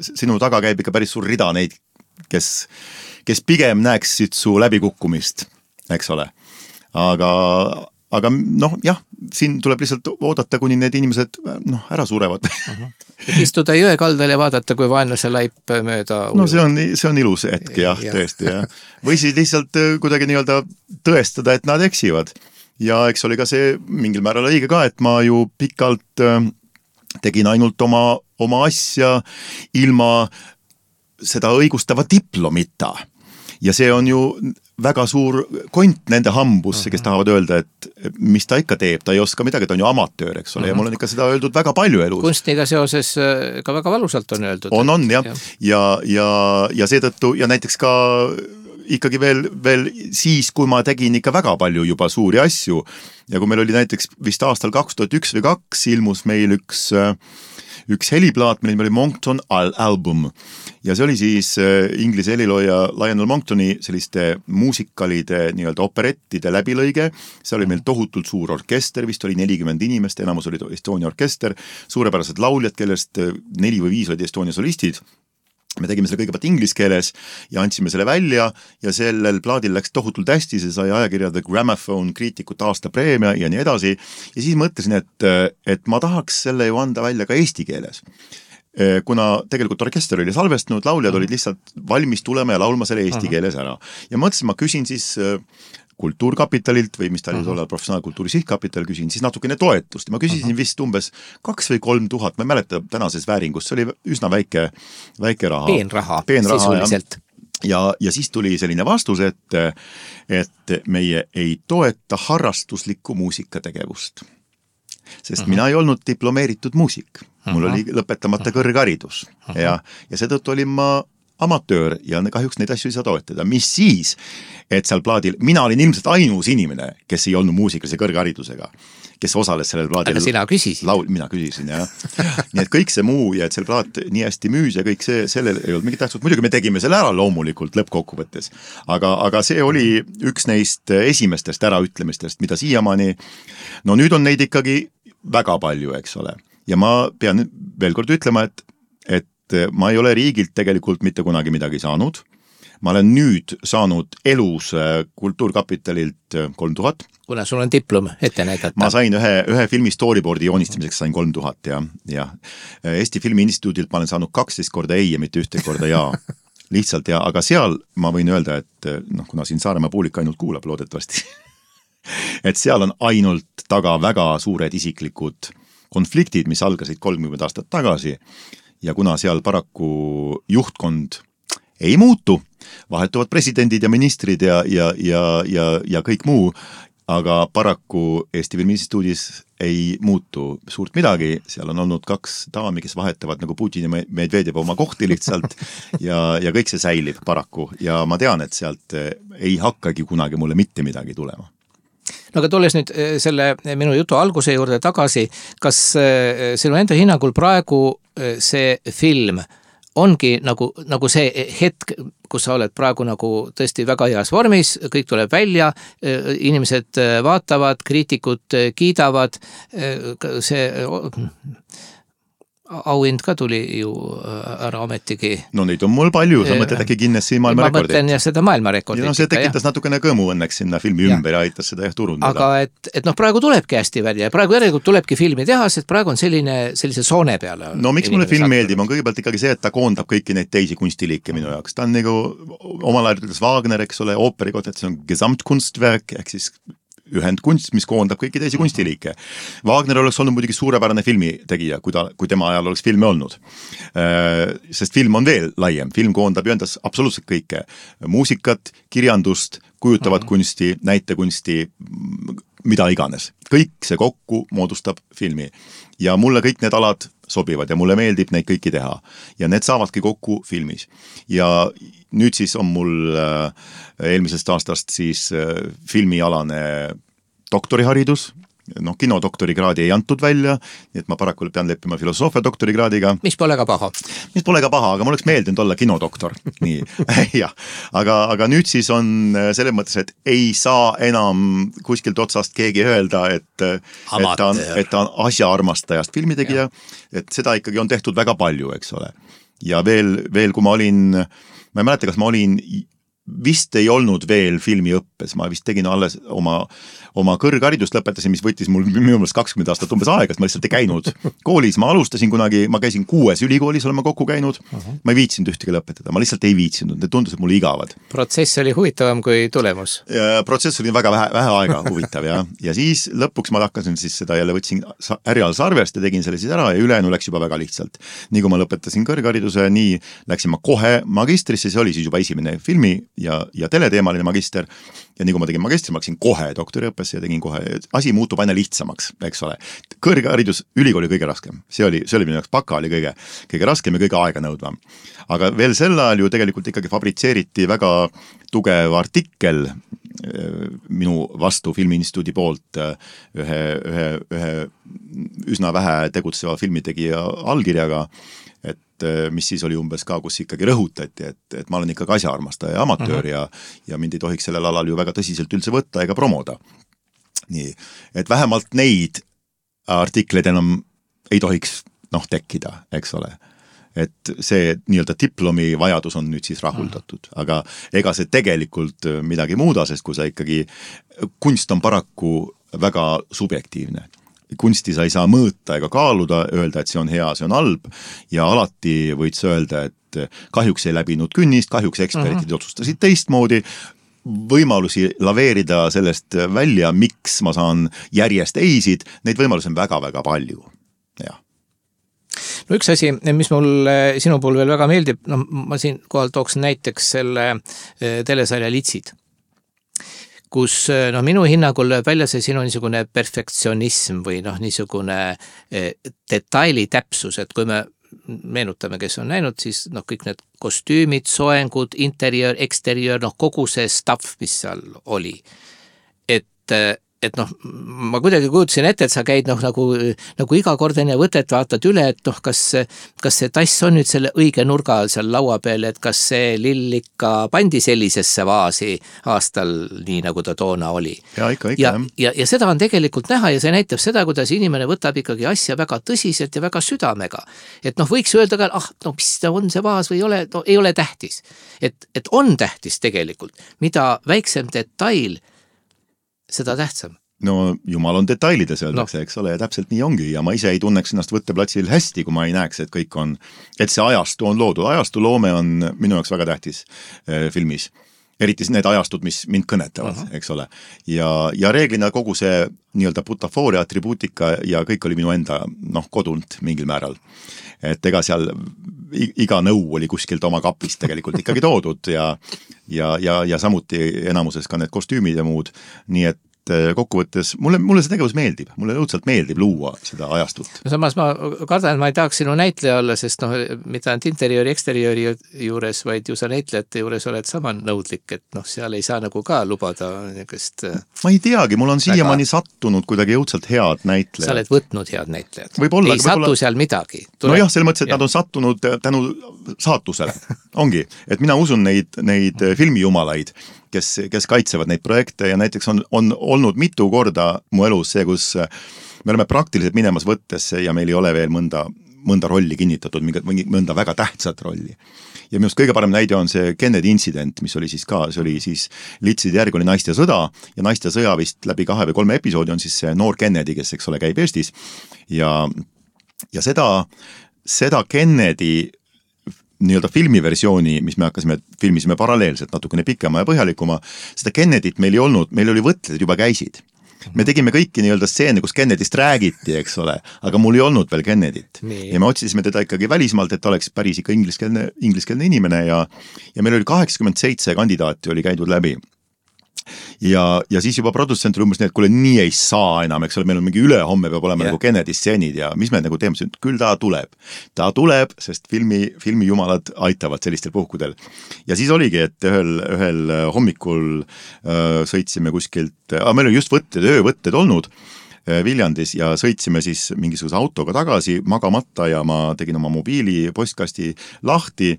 sinu taga käib ikka päris suur rida neid, kes pigem näeksid su läbikukkumist, eks ole. Aga jah, siin tuleb lihtsalt oodata, kuni need inimesed ära surevad. Istuda jõe kaldal ja vaadata, kui vaenlase laip mööda ujub. No see on ilus hetk, jah, tõesti. Ja. Või siis lihtsalt kuidagi nii-öelda tõestada, et nad eksivad. Ja eks oli ka see mingil määral õige ka, et ma ju pikalt tegin ainult oma asja ilma seda õigustava diplomita. Ja see on ju väga suur kont nende hambusse, kes tahavad öelda, et mis ta ikka teeb, ta ei oska midagi, ta on ju amatöör, eks ole, ja mul on ikka seda öeldud väga palju elus. Kunstniga seoses ka väga valusalt on öeldud. On, jah. Ja seetõttu, ja näiteks ka ikkagi veel siis, kui ma tegin ikka väga palju juba suuri asju, ja kui meil oli näiteks vist aastal 2001 või 2002 ilmus meil üks heliplaat, meil oli Monckton album ja see oli siis inglise helilooja Lionel Monktoni selliste muusikalide nii-öelda operettide läbilõige, see oli meil tohutult suur orkester, vist oli 40 inimest, enamus oli Estonia orkester, suurepärased lauljad, kellest 4 või 5 olid Estonia solistid. Me tegime selle kõigepealt ingliskeeles ja andsime selle välja ja sellel plaadil läks tohutult hästi, see sai ajakirja The Gramophone kriitikute aasta preemia ja nii edasi. Ja siis mõtlesin, et ma tahaks selle ju anda välja ka eesti keeles. Kuna tegelikult orkester oli salvestanud, lauljad olid lihtsalt valmis tulema ja laulma selle eesti keeles ära. Ja mõtlesin, ma küsin siis Kultuurkapitalilt või mis ta oli tollal professionaalkultuuri sihtkapital, küsin siis natukene toetust. Ma küsisin vist umbes 2 või 3 tuhat, ma ei mäleta tänases vääringus, see oli üsna väike raha. Peenraha sisuliselt. Ja siis tuli selline vastus, et meie ei toeta harrastuslikku muusikategevust. Sest mina ei olnud diplomeeritud muusik. Mul oli lõpetamata kõrgharidus ja seetõttu olin ma amatöör ja kahjuks neid asju ei saa toetada. Mis siis, et seal plaadil, mina olin ilmselt ainus inimene, kes ei olnud muusikalise kõrgharidusega, kes osales sellel plaadil. Aga sina küsisid. Mina küsisin, jah. Nii et kõik see muu ja et selle plaat nii hästi müüs ja kõik see, sellel ei olnud mingit tähtsust. Muidugi me tegime selle ära loomulikult lõppkokkuvõttes. Aga see oli üks neist esimestest äraütlemistest, mida siiamaani, no nüüd on neid ikkagi väga palju, eks ole. Ja ma pean veel kord ütlema, et ma ei ole riigilt tegelikult mitte kunagi midagi saanud. Ma olen nüüd saanud elus Kultuurkapitalilt 3000. Kuna sul on diplom ette näidata? Ma sain ühe filmi storyboardi joonistamiseks sain 3000 ja Eesti Filmi Instituudilt ma olen saanud 12 korda ei ja mitte 1 korda jaa. Lihtsalt ja, aga seal ma võin öelda, et kuna siin Saaremaa publik ainult kuulab loodetavasti, et seal on ainult taga väga suured isiklikud konfliktid, mis algasid 30 aastat tagasi. Ja kuna seal paraku juhtkond ei muutu, vahetuvad presidendid ja ministrid ja kõik muu, aga paraku Eesti Filmi Instituudis ei muutu suurt midagi, seal on olnud 2 daami, kes vahetavad nagu Putin ja Medvedev oma kohti lihtsalt ja kõik see säilib paraku ja ma tean, et sealt ei hakkagi kunagi mulle mitte midagi tulema. No aga tulles nüüd selle minu jutu alguse juurde tagasi, kas sinu enda hinnangul praegu see film ongi nagu see hetk, kus sa oled praegu nagu tõesti väga heas vormis, kõik tuleb välja, inimesed vaatavad, kriitikud kiidavad, see auhind ka tuli ju ära ametigi. No neid on mul palju, sa mõtled äkki Guinessi maailmarekordit. Ma mõtlen ja seda maailmarekordit. Ja see tekitas natukene kõmu õnneks sinna filmi ümber ja aitas seda turundada. Aga et praegu tulebki hästi välja ja praegu järelikult tulebki filmi teha, sest praegu on sellise soone peale. No miks mulle film meeldib, on kõigepealt ikkagi see, et ta koondab kõiki neid teisi kunstiliike minu jaoks. Ta on nagu omal ajal ütles Wagner, eks ole, ooperi kohta, et see on Gesamtkunstwerk, ehk siis ühendkunst, mis koondab kõiki teisi kunstiliike. Wagner oleks olnud muidugi suurepärane filmitegija, kui tema ajal oleks filmi olnud. Sest film on veel laiem. Film koondab ju endas absoluutselt kõike. Muusikat, kirjandust, kujutavat kunsti, näitekunsti, mida iganes. Kõik see kokku moodustab filmi. Ja mulle kõik need alad sobivad ja mulle meeldib neid kõiki teha. Ja need saavadki kokku filmis. Ja nüüd siis on mul eelmisest aastast siis filmialane doktoriharidus noh, kinodoktorikraadi ei antud välja, nii et ma paraku pean leppima filosoofia doktorikraadiga. Mis pole ka paha. Mis pole ka paha, aga mul oleks meeldinud olla kinodoktor. Nii, jah. Aga nüüd siis on selles mõttes, et ei saa enam kuskilt otsast keegi öelda, et ta on asjaarmastajast filmitegija, et seda ikkagi on tehtud väga palju, eks ole. Ja veel kui ma ei mäleta, kas ma olin vist ei olnud veel filmiõppes, ma vist tegin alles oma kõrgharidust lõpetasin, mis võttis mul minu meelest 20 aastat umbes aega, ma lihtsalt ei käinud koolis, ma alustasin kunagi, ma käisin 6 ülikoolis, olen ma kokku käinud, ma ei viitsinud ühtegi lõpetada, ma lihtsalt ei viitsinud, need tundus, et mulle igavad. Protsess oli huvitavam kui tulemus. Protsess oli väga vähe aega huvitav ja siis lõpuks ma hakkasin siis seda jälle võtsin härjal sarvest ja tegin selle siis ära ja ülejäänu läks juba väga lihtsalt. Nii kui ma lõpetasin kõrghariduse, nii läksin ma kohe magistrisse, see oli siis juba esimene filmi ja teleteemaline magister ja nii kui ma tegin magistri, ma läksin kohe doktoriõppesse ja tegin kohe, asi muutub aina lihtsamaks, eks ole. Kõrgharidus, ülikooli kõige raskem, see oli minu jaoks, baka oli kõige raskem ja kõige aega nõudvam. Aga veel sel ajal ju tegelikult ikkagi fabritseeriti väga tugev artikkel minu vastu Filmiinstituudi poolt ühe üsna vähe tegutseva filmitegija allkirjaga, et mis siis oli umbes ka, kus ikkagi rõhutati, et ma olen ikkagi asjaarmastaja ja amatöör ja mind ei tohiks sellel alal ju väga tõsiselt üldse võtta ega promoda. Nii, et vähemalt neid artikleid enam ei tohiks tekkida, eks ole. Et see nii-öelda diplomi vajadus on nüüd siis rahuldatud, aga ega see tegelikult midagi muuda, sest kui sa ikkagi, kunst on paraku väga subjektiivne. Kunsti sa ei saa mõõta ega kaaluda, öelda, et see on hea, see on halb ja alati võid sa öelda, et kahjuks ei läbinud künnist, kahjuks eksperdid otsustasid teistmoodi, võimalusi laveerida sellest välja, miks ma saan järjest eisid, neid võimalusi on väga-väga palju, jah. No üks asi, mis mul sinu puhul veel väga meeldib, ma siin kohal tooks näiteks selle telesarja Litsid, kus minu hinnangul lööb välja see sinu niisugune perfektsionism või niisugune detaili täpsus, et kui me meenutame, kes on näinud, siis kõik need kostüümid, soengud, interiör, eksteriör, kogu see stuff, mis seal oli. Et ma kuidagi kujutasin ette, et sa käid nagu iga kord enne võtet vaatad üle, et kas see tass on nüüd selle õige nurga all seal laua peal, et kas see lill ikka pandi sellisesse vaasi aastal nii, nagu ta toona oli. Ja ikka. Ja seda on tegelikult näha ja see näitab seda, kuidas inimene võtab ikkagi asja väga tõsiselt ja väga südamega. Et võiks öelda ka, mis on see vaas või ei ole tähtis. Et on tähtis tegelikult, mida väiksem detail, seda tähtsam. No jumal on detailides öeldakse, eks ole, ja täpselt nii ongi ja ma ise ei tunneks ennast võtteplatsil hästi, kui ma ei näeks, et kõik on, et see ajastu on loodud. Ajastu loome on minu jaoks väga tähtis filmis. Eriti need ajastud, mis mind kõnetavad, eks ole. Ja reeglina kogu see nii-öelda butafooria, atribuutika ja kõik oli minu enda kodunt mingil määral. Et ega seal iga nõu oli kuskilt oma kapist tegelikult ikkagi toodud ja samuti enamuses ka need kostüümid ja muud. Nii et kokkuvõttes, mulle see tegevus meeldib, mulle õudselt meeldib luua seda ajastut. Samas ma kardan, ma ei tahaks sinu näitleja olla, sest mitte ainult interiööri, eksteriööri juures, vaid ju sa näitlejate juures oled sama nõudlik, et seal ei saa nagu ka lubada niisugust. Ma ei teagi, mul on siiamaani sattunud kuidagi õudselt head näitlejad. Sa oled võtnud head näitlejad. Ei satu seal midagi. Nojah, selle mõttes, et nad on sattunud tänu saatusele. Ongi, et mina usun neid filmijumalaid, kes kaitsevad neid projekte ja näiteks on olnud mitu korda mu elus see, kus me oleme praktiliselt minemas võttesse ja meil ei ole veel mõnda rolli kinnitatud, mõnda väga tähtsat rolli. Ja minust kõige parem näide on see Kennedy incident, mis oli siis ka, see oli siis Litside järg oli Naist ja sõda ja Naist ja sõja vist läbi 2 või 3 episoodi on siis see noor Kennedy, kes eks ole käib Eestis ja seda Kennedy nii-öelda filmiversiooni, mis me filmisime paralleelselt natukene pikema ja põhjalikuma, seda Kennedyt meil ei olnud, meil oli võtted juba käisid. Me tegime kõiki nii-öelda stseene, kus Kennedyst räägiti, eks ole, aga mul ei olnud veel Kennedyt. Ja me otsisime teda ikkagi välismaalt, et ta oleks päris ikka ingliskeelne inimene ja meil oli 87 kandidaati oli käidud läbi. Ja siis juba produtsent oli umbes nii, et kuule, nii ei saa enam, eks ole, meil on mingi ülehomme peab olema nagu Kennedy stseenid ja mis me nagu teeme, küll ta tuleb, sest filmi jumalad aitavad sellistel puhkudel. Ja siis oligi, et ühel hommikul sõitsime kuskilt, meil oli just öövõtted olnud Viljandis ja sõitsime siis mingisuguse autoga tagasi magamata ja ma tegin oma mobiili postkasti lahti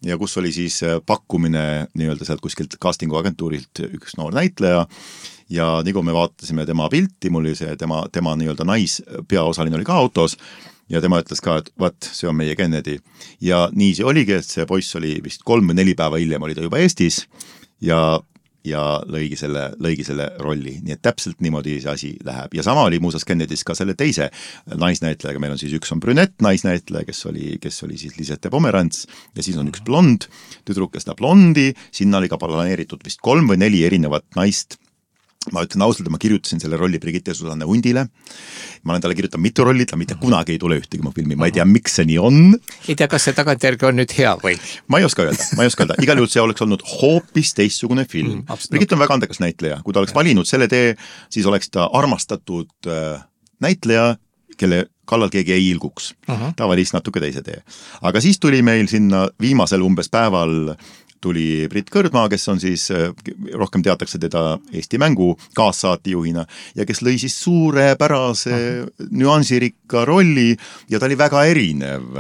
ja kus oli siis pakkumine nii-öelda sealt kuskilt castingu agentuurilt üks noor näitleja ja nii kui me vaatasime tema pilti, mul oli see tema nii-öelda naispeaosaline oli ka autos ja tema ütles ka, et vaat, see on meie Kennedy. Ja nii see oligi, et see poiss oli vist 3 või 4 päeva hiljem oli ta juba Eestis ja lõigi selle rolli. Nii et täpselt niimoodi see asi läheb. Ja sama oli muusas Kennedys ka selle teise naisnäitlejaga. Meil on siis üks on brünett naisnäitleja, kes oli siis Lisette Pomerants ja siis on üks blond tüdruk ja seda blondi. Sinna oli ka planeeritud vist 3 või 4 erinevat naist. Ma ütlen ausalt, ma kirjutasin selle rolli Brigitte Susanne Hundile. Ma olen talle kirjutanud mitu rolli, ta mitte kunagi ei tule ühtegi mu filmi. Ma ei tea, miks see nii on. Ei tea, kas see tagantjärgi on nüüd hea või? Ma ei oska öelda. Igal juhul see oleks olnud hoopis teistsugune film. Brigitte on väga andekas näitleja. Kui ta oleks valinud selle tee, siis oleks ta armastatud näitleja, kelle kallal keegi ei ilguks. Ta valis natuke teise tee. Aga siis tuli meil sinna viimasel umbes päeval tuli Brit Kõrdmaa, kes on siis, rohkem teatakse teda Eesti mängu kaassaatejuhina ja kes lõi siis suurepärase nüansirikka rolli ja ta oli väga erinev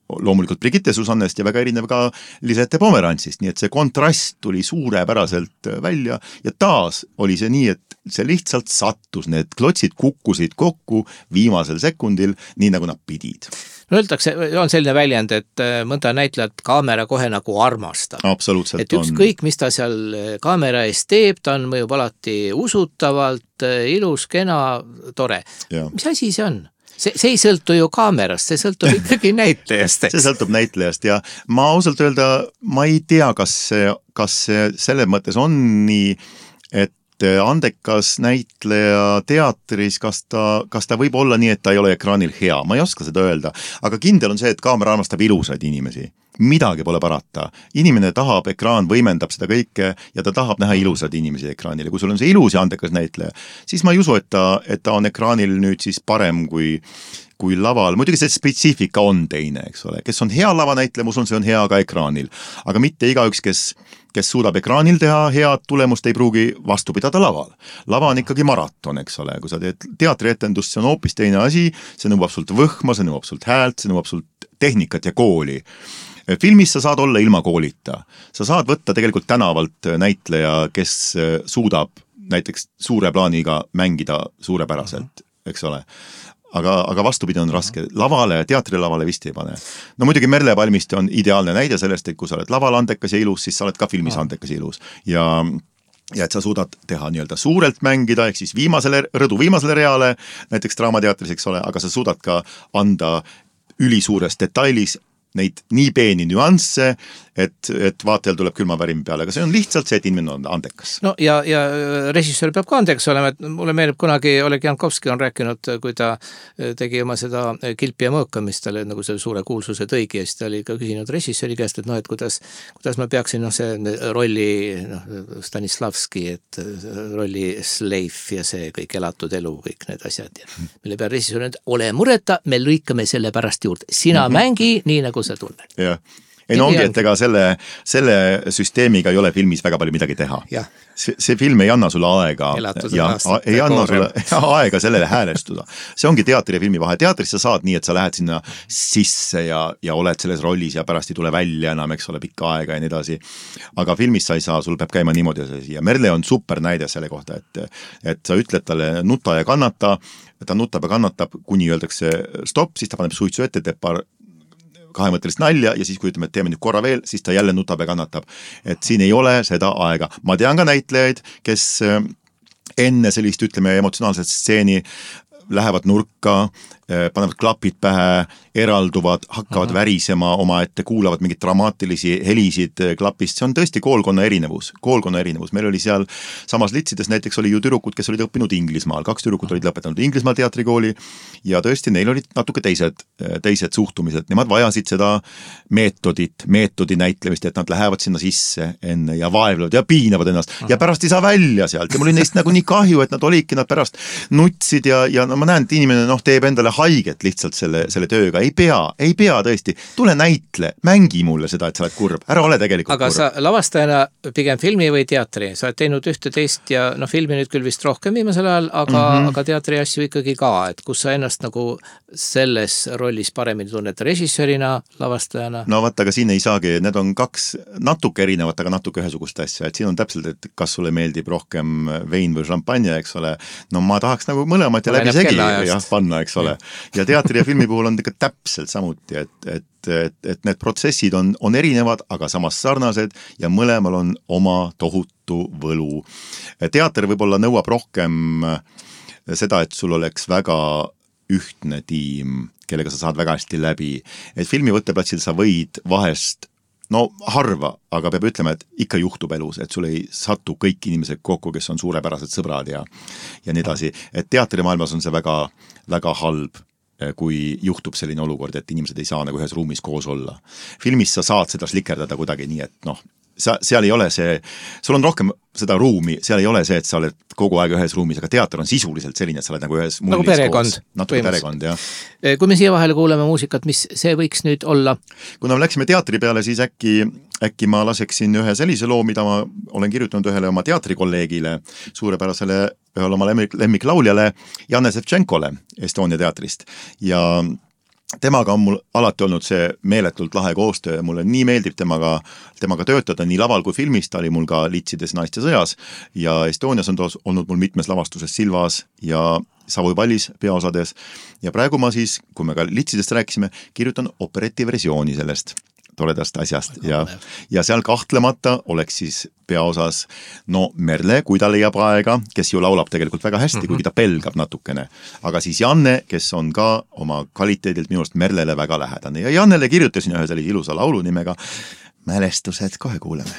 loomulikult Brigitte Susannest ja väga erinev ka Lisette Pomerantsist, nii et see kontrast tuli suurepäraselt välja ja taas oli see nii, et see lihtsalt sattus, need klotsid kukkusid kokku viimasel sekundil, nii nagu nad pidid. No öeldakse, on selline väljend, et mõnda näitlejat kaamera kohe nagu armastab. Absoluutselt et ükskõik, mis ta seal kaamera ees teeb, ta on mõjub alati usutavalt, ilus, kena, tore. Ja. Mis asi see on? See ei sõltu ju kaamerast, see sõltub ikkagi näitlejast. See sõltub näitlejast ja ma ausalt öelda, ma ei tea, kas see selles mõttes on nii, et andekas näitleja teatris, kas ta võib olla nii, et ta ei ole ekraanil hea, ma ei oska seda öelda, aga kindel on see, et kaamera armastab ilusaid inimesi. Midagi pole parata. Inimene tahab, ekraan võimendab seda kõike ja ta tahab näha ilusad inimesi ekraanil ja kui sul on see ilus ja andekas näitleja, siis ma ei usu, et ta on ekraanil nüüd siis parem kui laval. Muidugi see spetsiifika on teine, eks ole. Kes on hea lavanäitleja, ma usun, see on hea ka ekraanil. Aga mitte igaüks, kes suudab ekraanil teha head tulemust, ei pruugi vastu pidada laval. Lava on ikkagi maraton, eks ole. Kui sa teed teatrietendust, see on hoopis teine asi, see nõuab sult võhma, see nõuab sult häält, see nõuab sult tehnikat ja kooli. Filmis sa saad olla ilma koolita. Sa saad võtta tegelikult tänavalt näitleja, kes suudab näiteks suure plaaniga mängida suurepäraselt, eks ole. Aga vastupidi on raske. Lavale, teatrilavale vist ei pane. No muidugi Merle Palmiste on ideaalne näide sellest, et kui sa oled laval andekas ja ilus, siis sa oled ka filmis andekas ja ilus. Ja et sa suudad teha nii-öelda suurelt mängida, ehk siis viimasele reale, näiteks draamateatris, eks ole, aga sa suudad ka anda ülisuures detailis neid nii peeni nüansse, et vaatajal tuleb külmavärim peale, aga see on lihtsalt see, et inimene on andekas. No ja režissöör peab ka andekas olema, et mulle meenub kunagi Oleg Jankovski on rääkinud, kui ta tegi oma seda kilpi ja mõõkamist, talle nagu selle suure kuulsuse tõigi ja siis ta oli ka küsinud režissööri käest, et et kuidas ma peaksin see rolli Stanislavski, et rolli Slave ja see kõik elatud elu, kõik need asjad ja mille peal režissöör on, ole mureta, me lõikame selle pärast juurde, sina mängi nii nagu sa tunned. Jah. Ei no ongi, et ega selle süsteemiga ei ole filmis väga palju midagi teha. See film ei anna sulle aega ja ei anna sulle aega sellele häälestuda. See ongi teatri ja filmi vahe. Teatris sa saad nii, et sa lähed sinna sisse ja oled selles rollis ja pärast ei tule välja enam, eks ole, pikka aega ja nii edasi. Aga filmis sa ei saa, sul peab käima niimoodi ja Merle on super näide selle kohta, et sa ütled talle nuta ja kannata, ta nutab ja kannatab, kuni öeldakse stopp, siis ta paneb suitsu ette, teeb paar kahemõttelist nalja ja siis kui ütleme, et teeme nüüd korra veel, siis ta jälle nutab ja kannatab. Et siin ei ole seda aega. Ma tean ka näitlejaid, kes enne sellist, ütleme, emotsionaalset stseeni lähevad nurka, panevad klapid pähe, eralduvad, hakkavad värisema oma ette, kuulavad mingid dramaatilisi helisid klapist. See on tõesti koolkonna erinevus. Meil oli seal samas Litsides näiteks oli ju tüdrukud, kes olid õppinud Inglismaal. 2 tüdrukut olid lõpetanud Inglismaal teatrikooli ja tõesti neil olid natuke teised suhtumised. Nemad vajasid seda meetodi näitlemist, et nad lähevad sinna sisse enne ja vaevlevad ja piinavad ennast ja pärast ei saa välja sealt. Ja mul oli neist nagu nii kahju, et nad olidki, nad pärast nutsid ja ma näen, et inimene teeb endale haiget lihtsalt selle tööga, ei pea tõesti, tule näitle, mängi mulle seda, et sa oled kurb, ära ole tegelikult aga kurb. sa lavastajana pigem filmi või teatri, sa oled teinud ühte teist ja filmi nüüd küll vist rohkem viimasel ajal, aga teatri asju ikkagi ka, et kus sa ennast nagu selles rollis paremini tunned režissöörina, lavastajana? No vaata, aga siin ei saagi, need on kaks natuke erinevat, aga natuke ühesugust asja, et siin on täpselt, et kas sulle meeldib rohkem vein või šampanja, eks ole, no ma tahaks nagu mõlemat ja läbi segi panna, eks ole. Ja teatri ja filmi puhul on ikka täpselt samuti, et need protsessid on erinevad, aga samas sarnased ja mõlemal on oma tohutu võlu. Teater võib-olla nõuab rohkem seda, et sul oleks väga ühtne tiim, kellega sa saad väga hästi läbi. Et filmi võtteplatsil sa võid vahest harva, aga peab ütlema, et ikka juhtub elus, et sul ei satu kõik inimesed kokku, kes on suurepärased sõbrad ja nii edasi. Et teatrimaailmas on see väga, väga halb, kui juhtub selline olukord, et inimesed ei saa nagu ühes ruumis koos olla. Filmis sa saad seda slikerdada kuidagi nii, et seal ei ole see, sul on rohkem seda ruumi, seal ei ole see, et sa oled kogu aeg ühes ruumis, aga teater on sisuliselt selline, et sa oled nagu ühes mullis nagu perekond, koos. Natuke perekond, jah. Kui me siia vahele kuuleme muusikat, mis see võiks nüüd olla? Kui me läksime teatri peale, siis äkki ma laseksin ühe sellise loo, mida ma olen kirjutanud ühele oma teatrikolleegile, suurepärasele ühele oma lemmiklauljale Janne Sevtšenkole Estonia teatrist ja temaga on mul alati olnud see meeletult lahe koostöö ja mulle nii meeldib temaga töötada nii laval kui filmis, ta oli mul ka Litsides naiste sõjas ja Estonias on olnud mul mitmes lavastuses Silvas ja Savoi pallis peaosades ja praegu ma siis, kui me ka Litsidest rääkisime, kirjutan operetiversiooni sellest toredast asjast ja seal kahtlemata oleks siis peaosas Merle, kui ta leiab aega, kes ju laulab tegelikult väga hästi, kuigi ta pelgab natukene, aga siis Janne, kes on ka oma kvaliteedilt minust Merlele väga lähedane ja Jannele kirjutasin ühe sellise ilusa laulu nimega Mälestused, kohe kuuleme.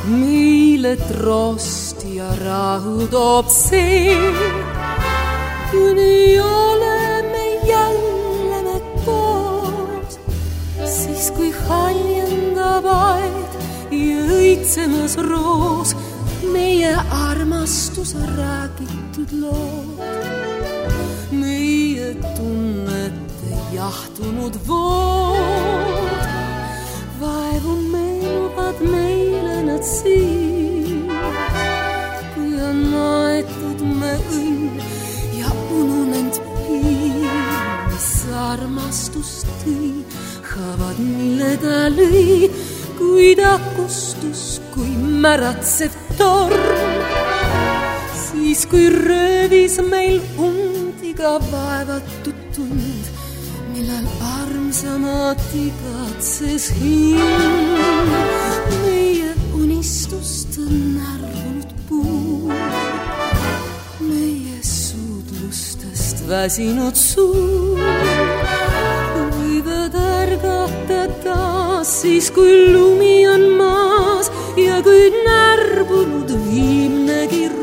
Meile trost ja rahu toob see, kuni oleme jälle me koos, siis kui haljendab aed ja õitsemas roos meie armastus räägitud lood, meie tunnete jahtunud vood. Vaevu meenuvad meile nad siin, kui on aetud me õnn ja ununend piin, mis armastust tõi, haavad mille ta lõi, kui ta kustus, kui märatsev torm, siis kui röövis meil undiga vaevatud tund, millal armsamad igatses hind, meie unistust on arvunud puu, meie suudlustest väsinud suu, võivad ärgata taas siis, kui lumi on maas ja kui närbunud viimnegi roos.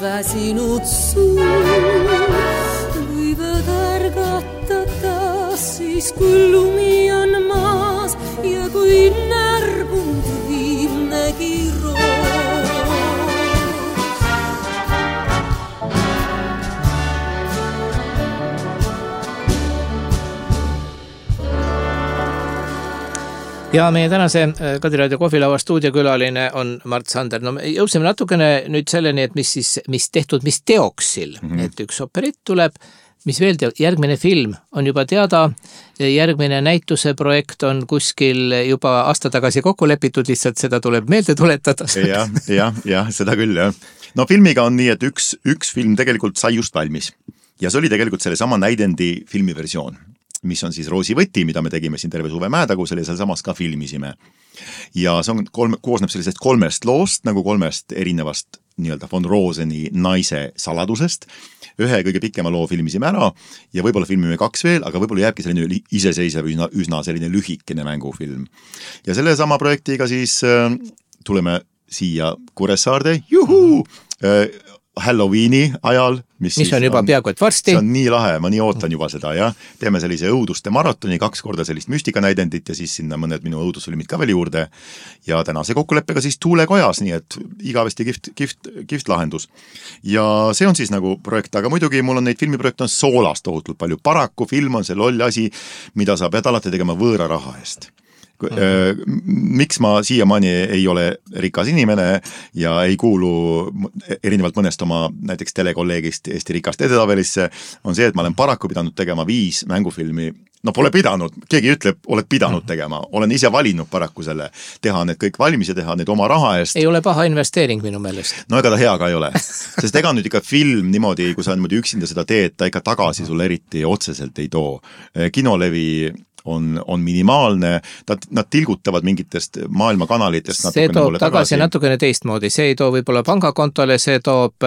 Väsinud suu võivad ärgata taas siis, kui lumi on maas ja kui närbunud viimnegi roos. Ja meie tänase Kadiraadio kohvilava stuudiokülaline on Mart Sander. No me jõudsime natukene nüüd selleni, et mis tehtud, mis teoksil, et üks operett tuleb, mis veel järgmine film on juba teada, järgmine näituse projekt on kuskil juba aasta tagasi kokku lepitud, lihtsalt seda tuleb meelde tuletada. Ja, seda küll, jah. No filmiga on nii, et üks film tegelikult sai just valmis. ja see oli tegelikult selle sama näidendi filmiversioon, mis on siis Roosi võti, mida me tegime siin terve suve Mäetagus, ja seal samas ka filmisime. Ja see on, koosneb sellisest 3 loost, nagu 3 erinevast nii-öelda von Roseni naise saladusest. Ühe kõige pikema loo filmisime ära ja võib-olla filmime 2 veel, aga võib-olla jääbki selline iseseisev, üsna selline lühikene mängufilm. Ja selle sama projektiga siis tuleme siia Kuressaarde, Halloweeni ajal, mis on juba peaaegu et varsti. See on nii lahe, ma nii ootan juba seda, jah. Teeme sellise õuduste maratoni, 2 korda sellist müstikanäidendit ja siis sinna mõned minu õudusfilmid ka veel juurde. Ja tänase kokkuleppega siis Tuulekojas, nii et igavesti kihvt lahendus. Ja see on siis nagu projekt, aga muidugi mul on neid filmiprojekte on soolast tohutult palju. Paraku film on see loll asi, mida sa pead alati tegema võõra raha eest. Miks ma siiamaani ei ole rikas inimene ja ei kuulu erinevalt mõnest oma näiteks telekolleegist Eesti rikast edetabelisse, on see, et ma olen paraku pidanud tegema 5 mängufilmi. No pole pidanud, keegi ütleb, oled pidanud tegema. Olen ise valinud paraku selle, teha need kõik valmis ja teha need oma raha eest. Ei ole paha investeering minu meelest. No ega ta hea ka ei ole. Sest ega nüüd ikka film niimoodi, kui sa niimoodi üksinda seda teed, ta ikka tagasi sulle eriti otseselt ei too. Kinolevi on minimaalne, nad tilgutavad mingitest maailma kanalitest. See toob tagasi natukene teistmoodi, see ei too võib-olla pangakontole, see toob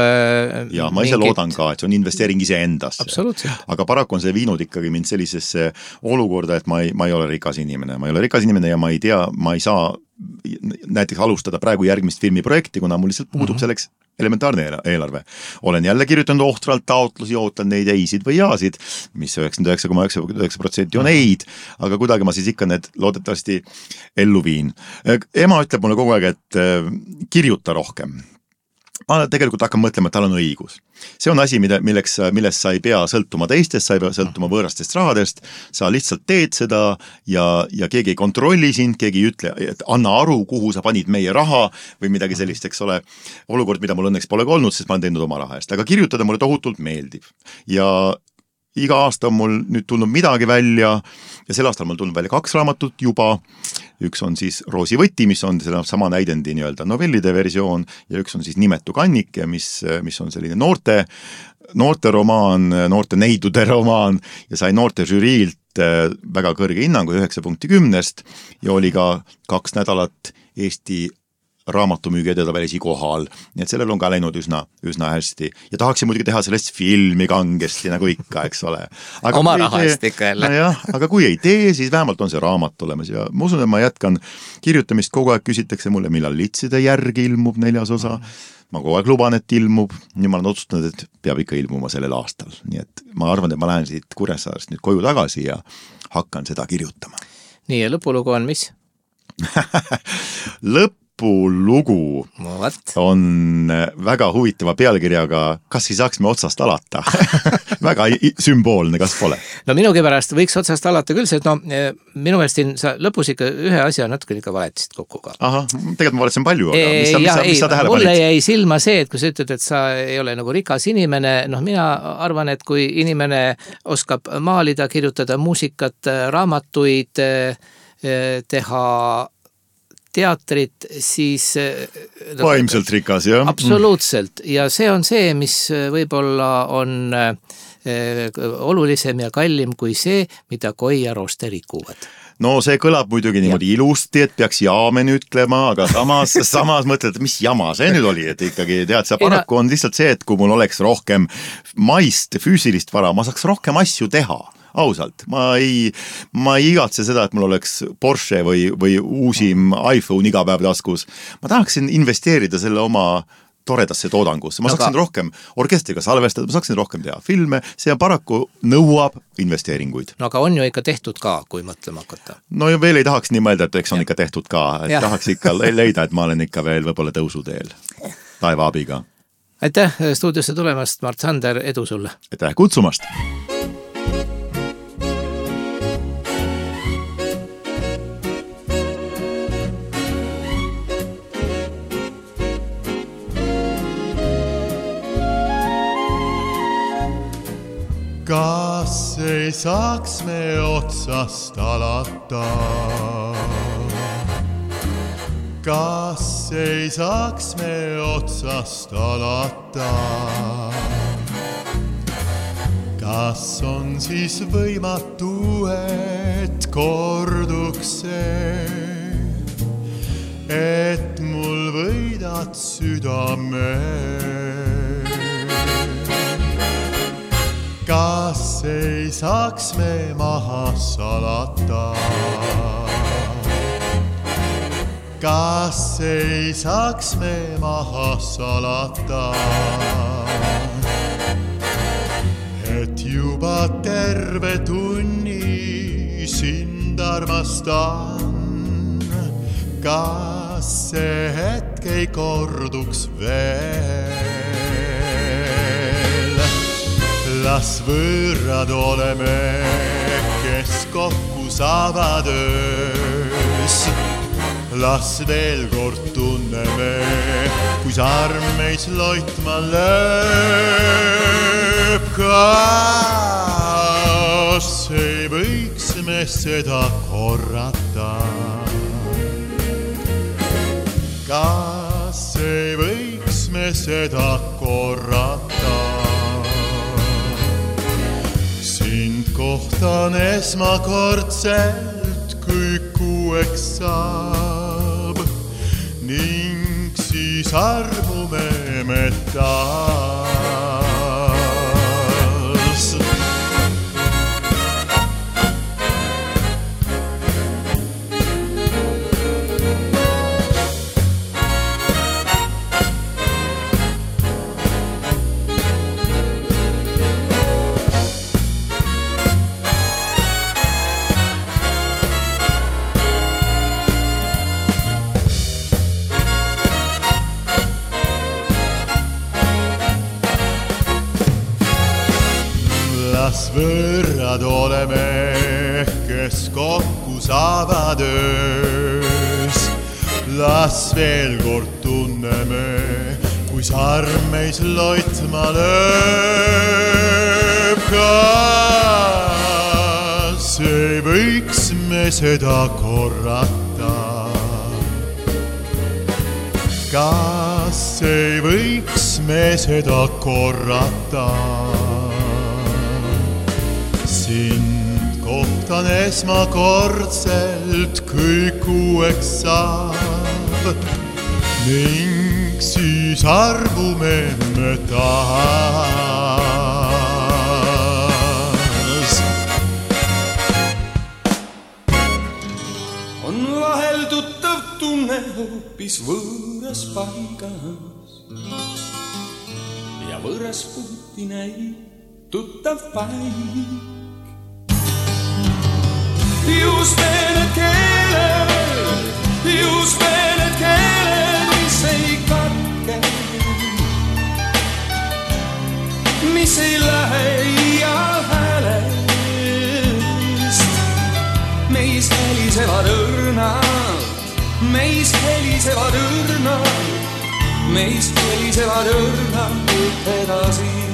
ja ma ise loodan ka, et see on investeering ise endasse. Absoluutselt. Aga paraku on see viinud ikkagi mind sellisesse olukorda, et ma ei ole rikas inimene. Ma ei ole rikas inimene ja ma ei tea, ma ei saa näiteks alustada praegu järgmist filmiprojekti, kuna mul lihtsalt puudub selleks elementaarne eelarve. Olen jälle kirjutanud ohtralt taotlusi, ootan neid eisid või jaasid, mis 99,9% on eid, aga kuidagi ma siis ikka need loodetavasti ellu viin. Ema ütleb mulle kogu aeg, et kirjuta rohkem. Ma tegelikult hakkan mõtlema, et tal on õigus. See on asi, millest sa ei pea sõltuma teistest, sa ei pea sõltuma võõrastest rahadest, sa lihtsalt teed seda ja keegi ei kontrolli sind, keegi ei ütle, et anna aru, kuhu sa panid meie raha või midagi sellist, eks ole. Olukord, mida mul õnneks pole olnud, sest ma olen teinud oma raha eest, aga kirjutada mulle tohutult meeldib. Ja iga aasta on mul nüüd tulnud midagi välja ja sel aastal mul tulnud välja 2 raamatut juba. Üks on siis Roosi võti, mis on sama näidendi nii-öelda novellide versioon ja üks on siis Nimetu kannike, mis on selline noorte romaan, noorte neidude romaan ja sai noorte žüriilt väga kõrge hinnangu 9.10 ja oli ka 2 nädalat Eesti raamatumüügi edetabelis kohal, nii et sellel on ka läinud üsna hästi ja tahaksin muidugi teha sellest filmi kangesti nagu ikka, eks ole. Aga oma raha eest ikka jälle. No aga kui ei tee, siis vähemalt on see raamat olemas ja ma usun, et ma jätkan kirjutamist, kogu aeg küsitakse mulle, millal Litside järgi ilmub 4. osa. Ma kogu aeg luban, et ilmub, nüüd ma olen otsustanud, et peab ikka ilmuma sellel aastal, nii et ma arvan, et ma lähen siit Kuressaarest nüüd koju tagasi ja hakkan seda kirjutama. Nii ja lõpulugu on mis? Lõpulugu on väga huvitava pealkirjaga Kas ei saaks me otsast alata? Väga sümboolne, kas pole? No minugi pärast võiks otsast alata küll, sest minu meelest siin sa lõpus ikka ühe asja natuke ikka valetasid kokku ka. Aha, tegelikult ma valetasin palju, aga mis sa tähele panid? Mulle jäi silma see, et kui sa ütled, et sa ei ole nagu rikas inimene, mina arvan, et kui inimene oskab maalida, kirjutada muusikat, raamatuid, teha teatrit, siis vaimselt rikas, jah? Absoluutselt. Ja see on see, mis võib-olla on olulisem ja kallim kui see, mida Koi ja Roste rikuvad. No see kõlab muidugi niimoodi ilusti, et peaks jaamen ütlema, aga samas mõtled, mis jama see nüüd oli, et ikkagi tead, see paraku on lihtsalt see, et kui mul oleks rohkem maist, füüsilist vara, ma saaks rohkem asju teha. Ausalt, ma ei igatse seda, et mul oleks Porsche või uusim iPhone iga päev taskus. Ma tahaksin investeerida selle oma toredasse toodangusse. Ma saaksin rohkem orkestriga salvestada, ma saaksin rohkem teha filme, see paraku nõuab investeeringuid. No aga on ju ikka tehtud ka, kui mõtlema hakata. No ja veel ei tahaks nii mõelda, et eks on ikka tehtud ka. Et tahaks ikka leida, et ma olen ikka veel võib-olla tõusuteel taeva abiga. Aitäh stuudiosse tulemast, Mart Sander, edu sulle! Aitäh kutsumast! Kas ei saaks me otsast alata? Kas ei saaks me otsast alata? kas on siis võimatu, et korduks see, et mul võidad südame? Kas ei saaks me maha salata? Kas ei saaks me maha salata? Et juba terve tunni sind armastan. Kas see hetk ei korduks veel? Las võõrad oleme, kes kokku saavad öös. Las veel kord tunneme, kui sarm meis loitma lööb. Kas ei võiks me seda korrata? Kas ei võiks me seda korrata? Sind kohtan esmakordselt, kui kuueks saab, ning siis armume me taas. Las võõrad oleme, kes kokku saavad öös. Las veel kord tunneme, kui sarm meis loitma lööb. Kas ei võiks me seda korrata? Kas ei võiks me seda korrata? Sind kohtan esmakordselt, kui kuueks saab, ning siis armume me taas. On vahel tuttav tunne hoopis võõras paigas ja võõras puuti näib tuttav paik. Just need keeled, mis ei katke, mis ei lähe iial häälest. Meis helisevad õrnalt edasi.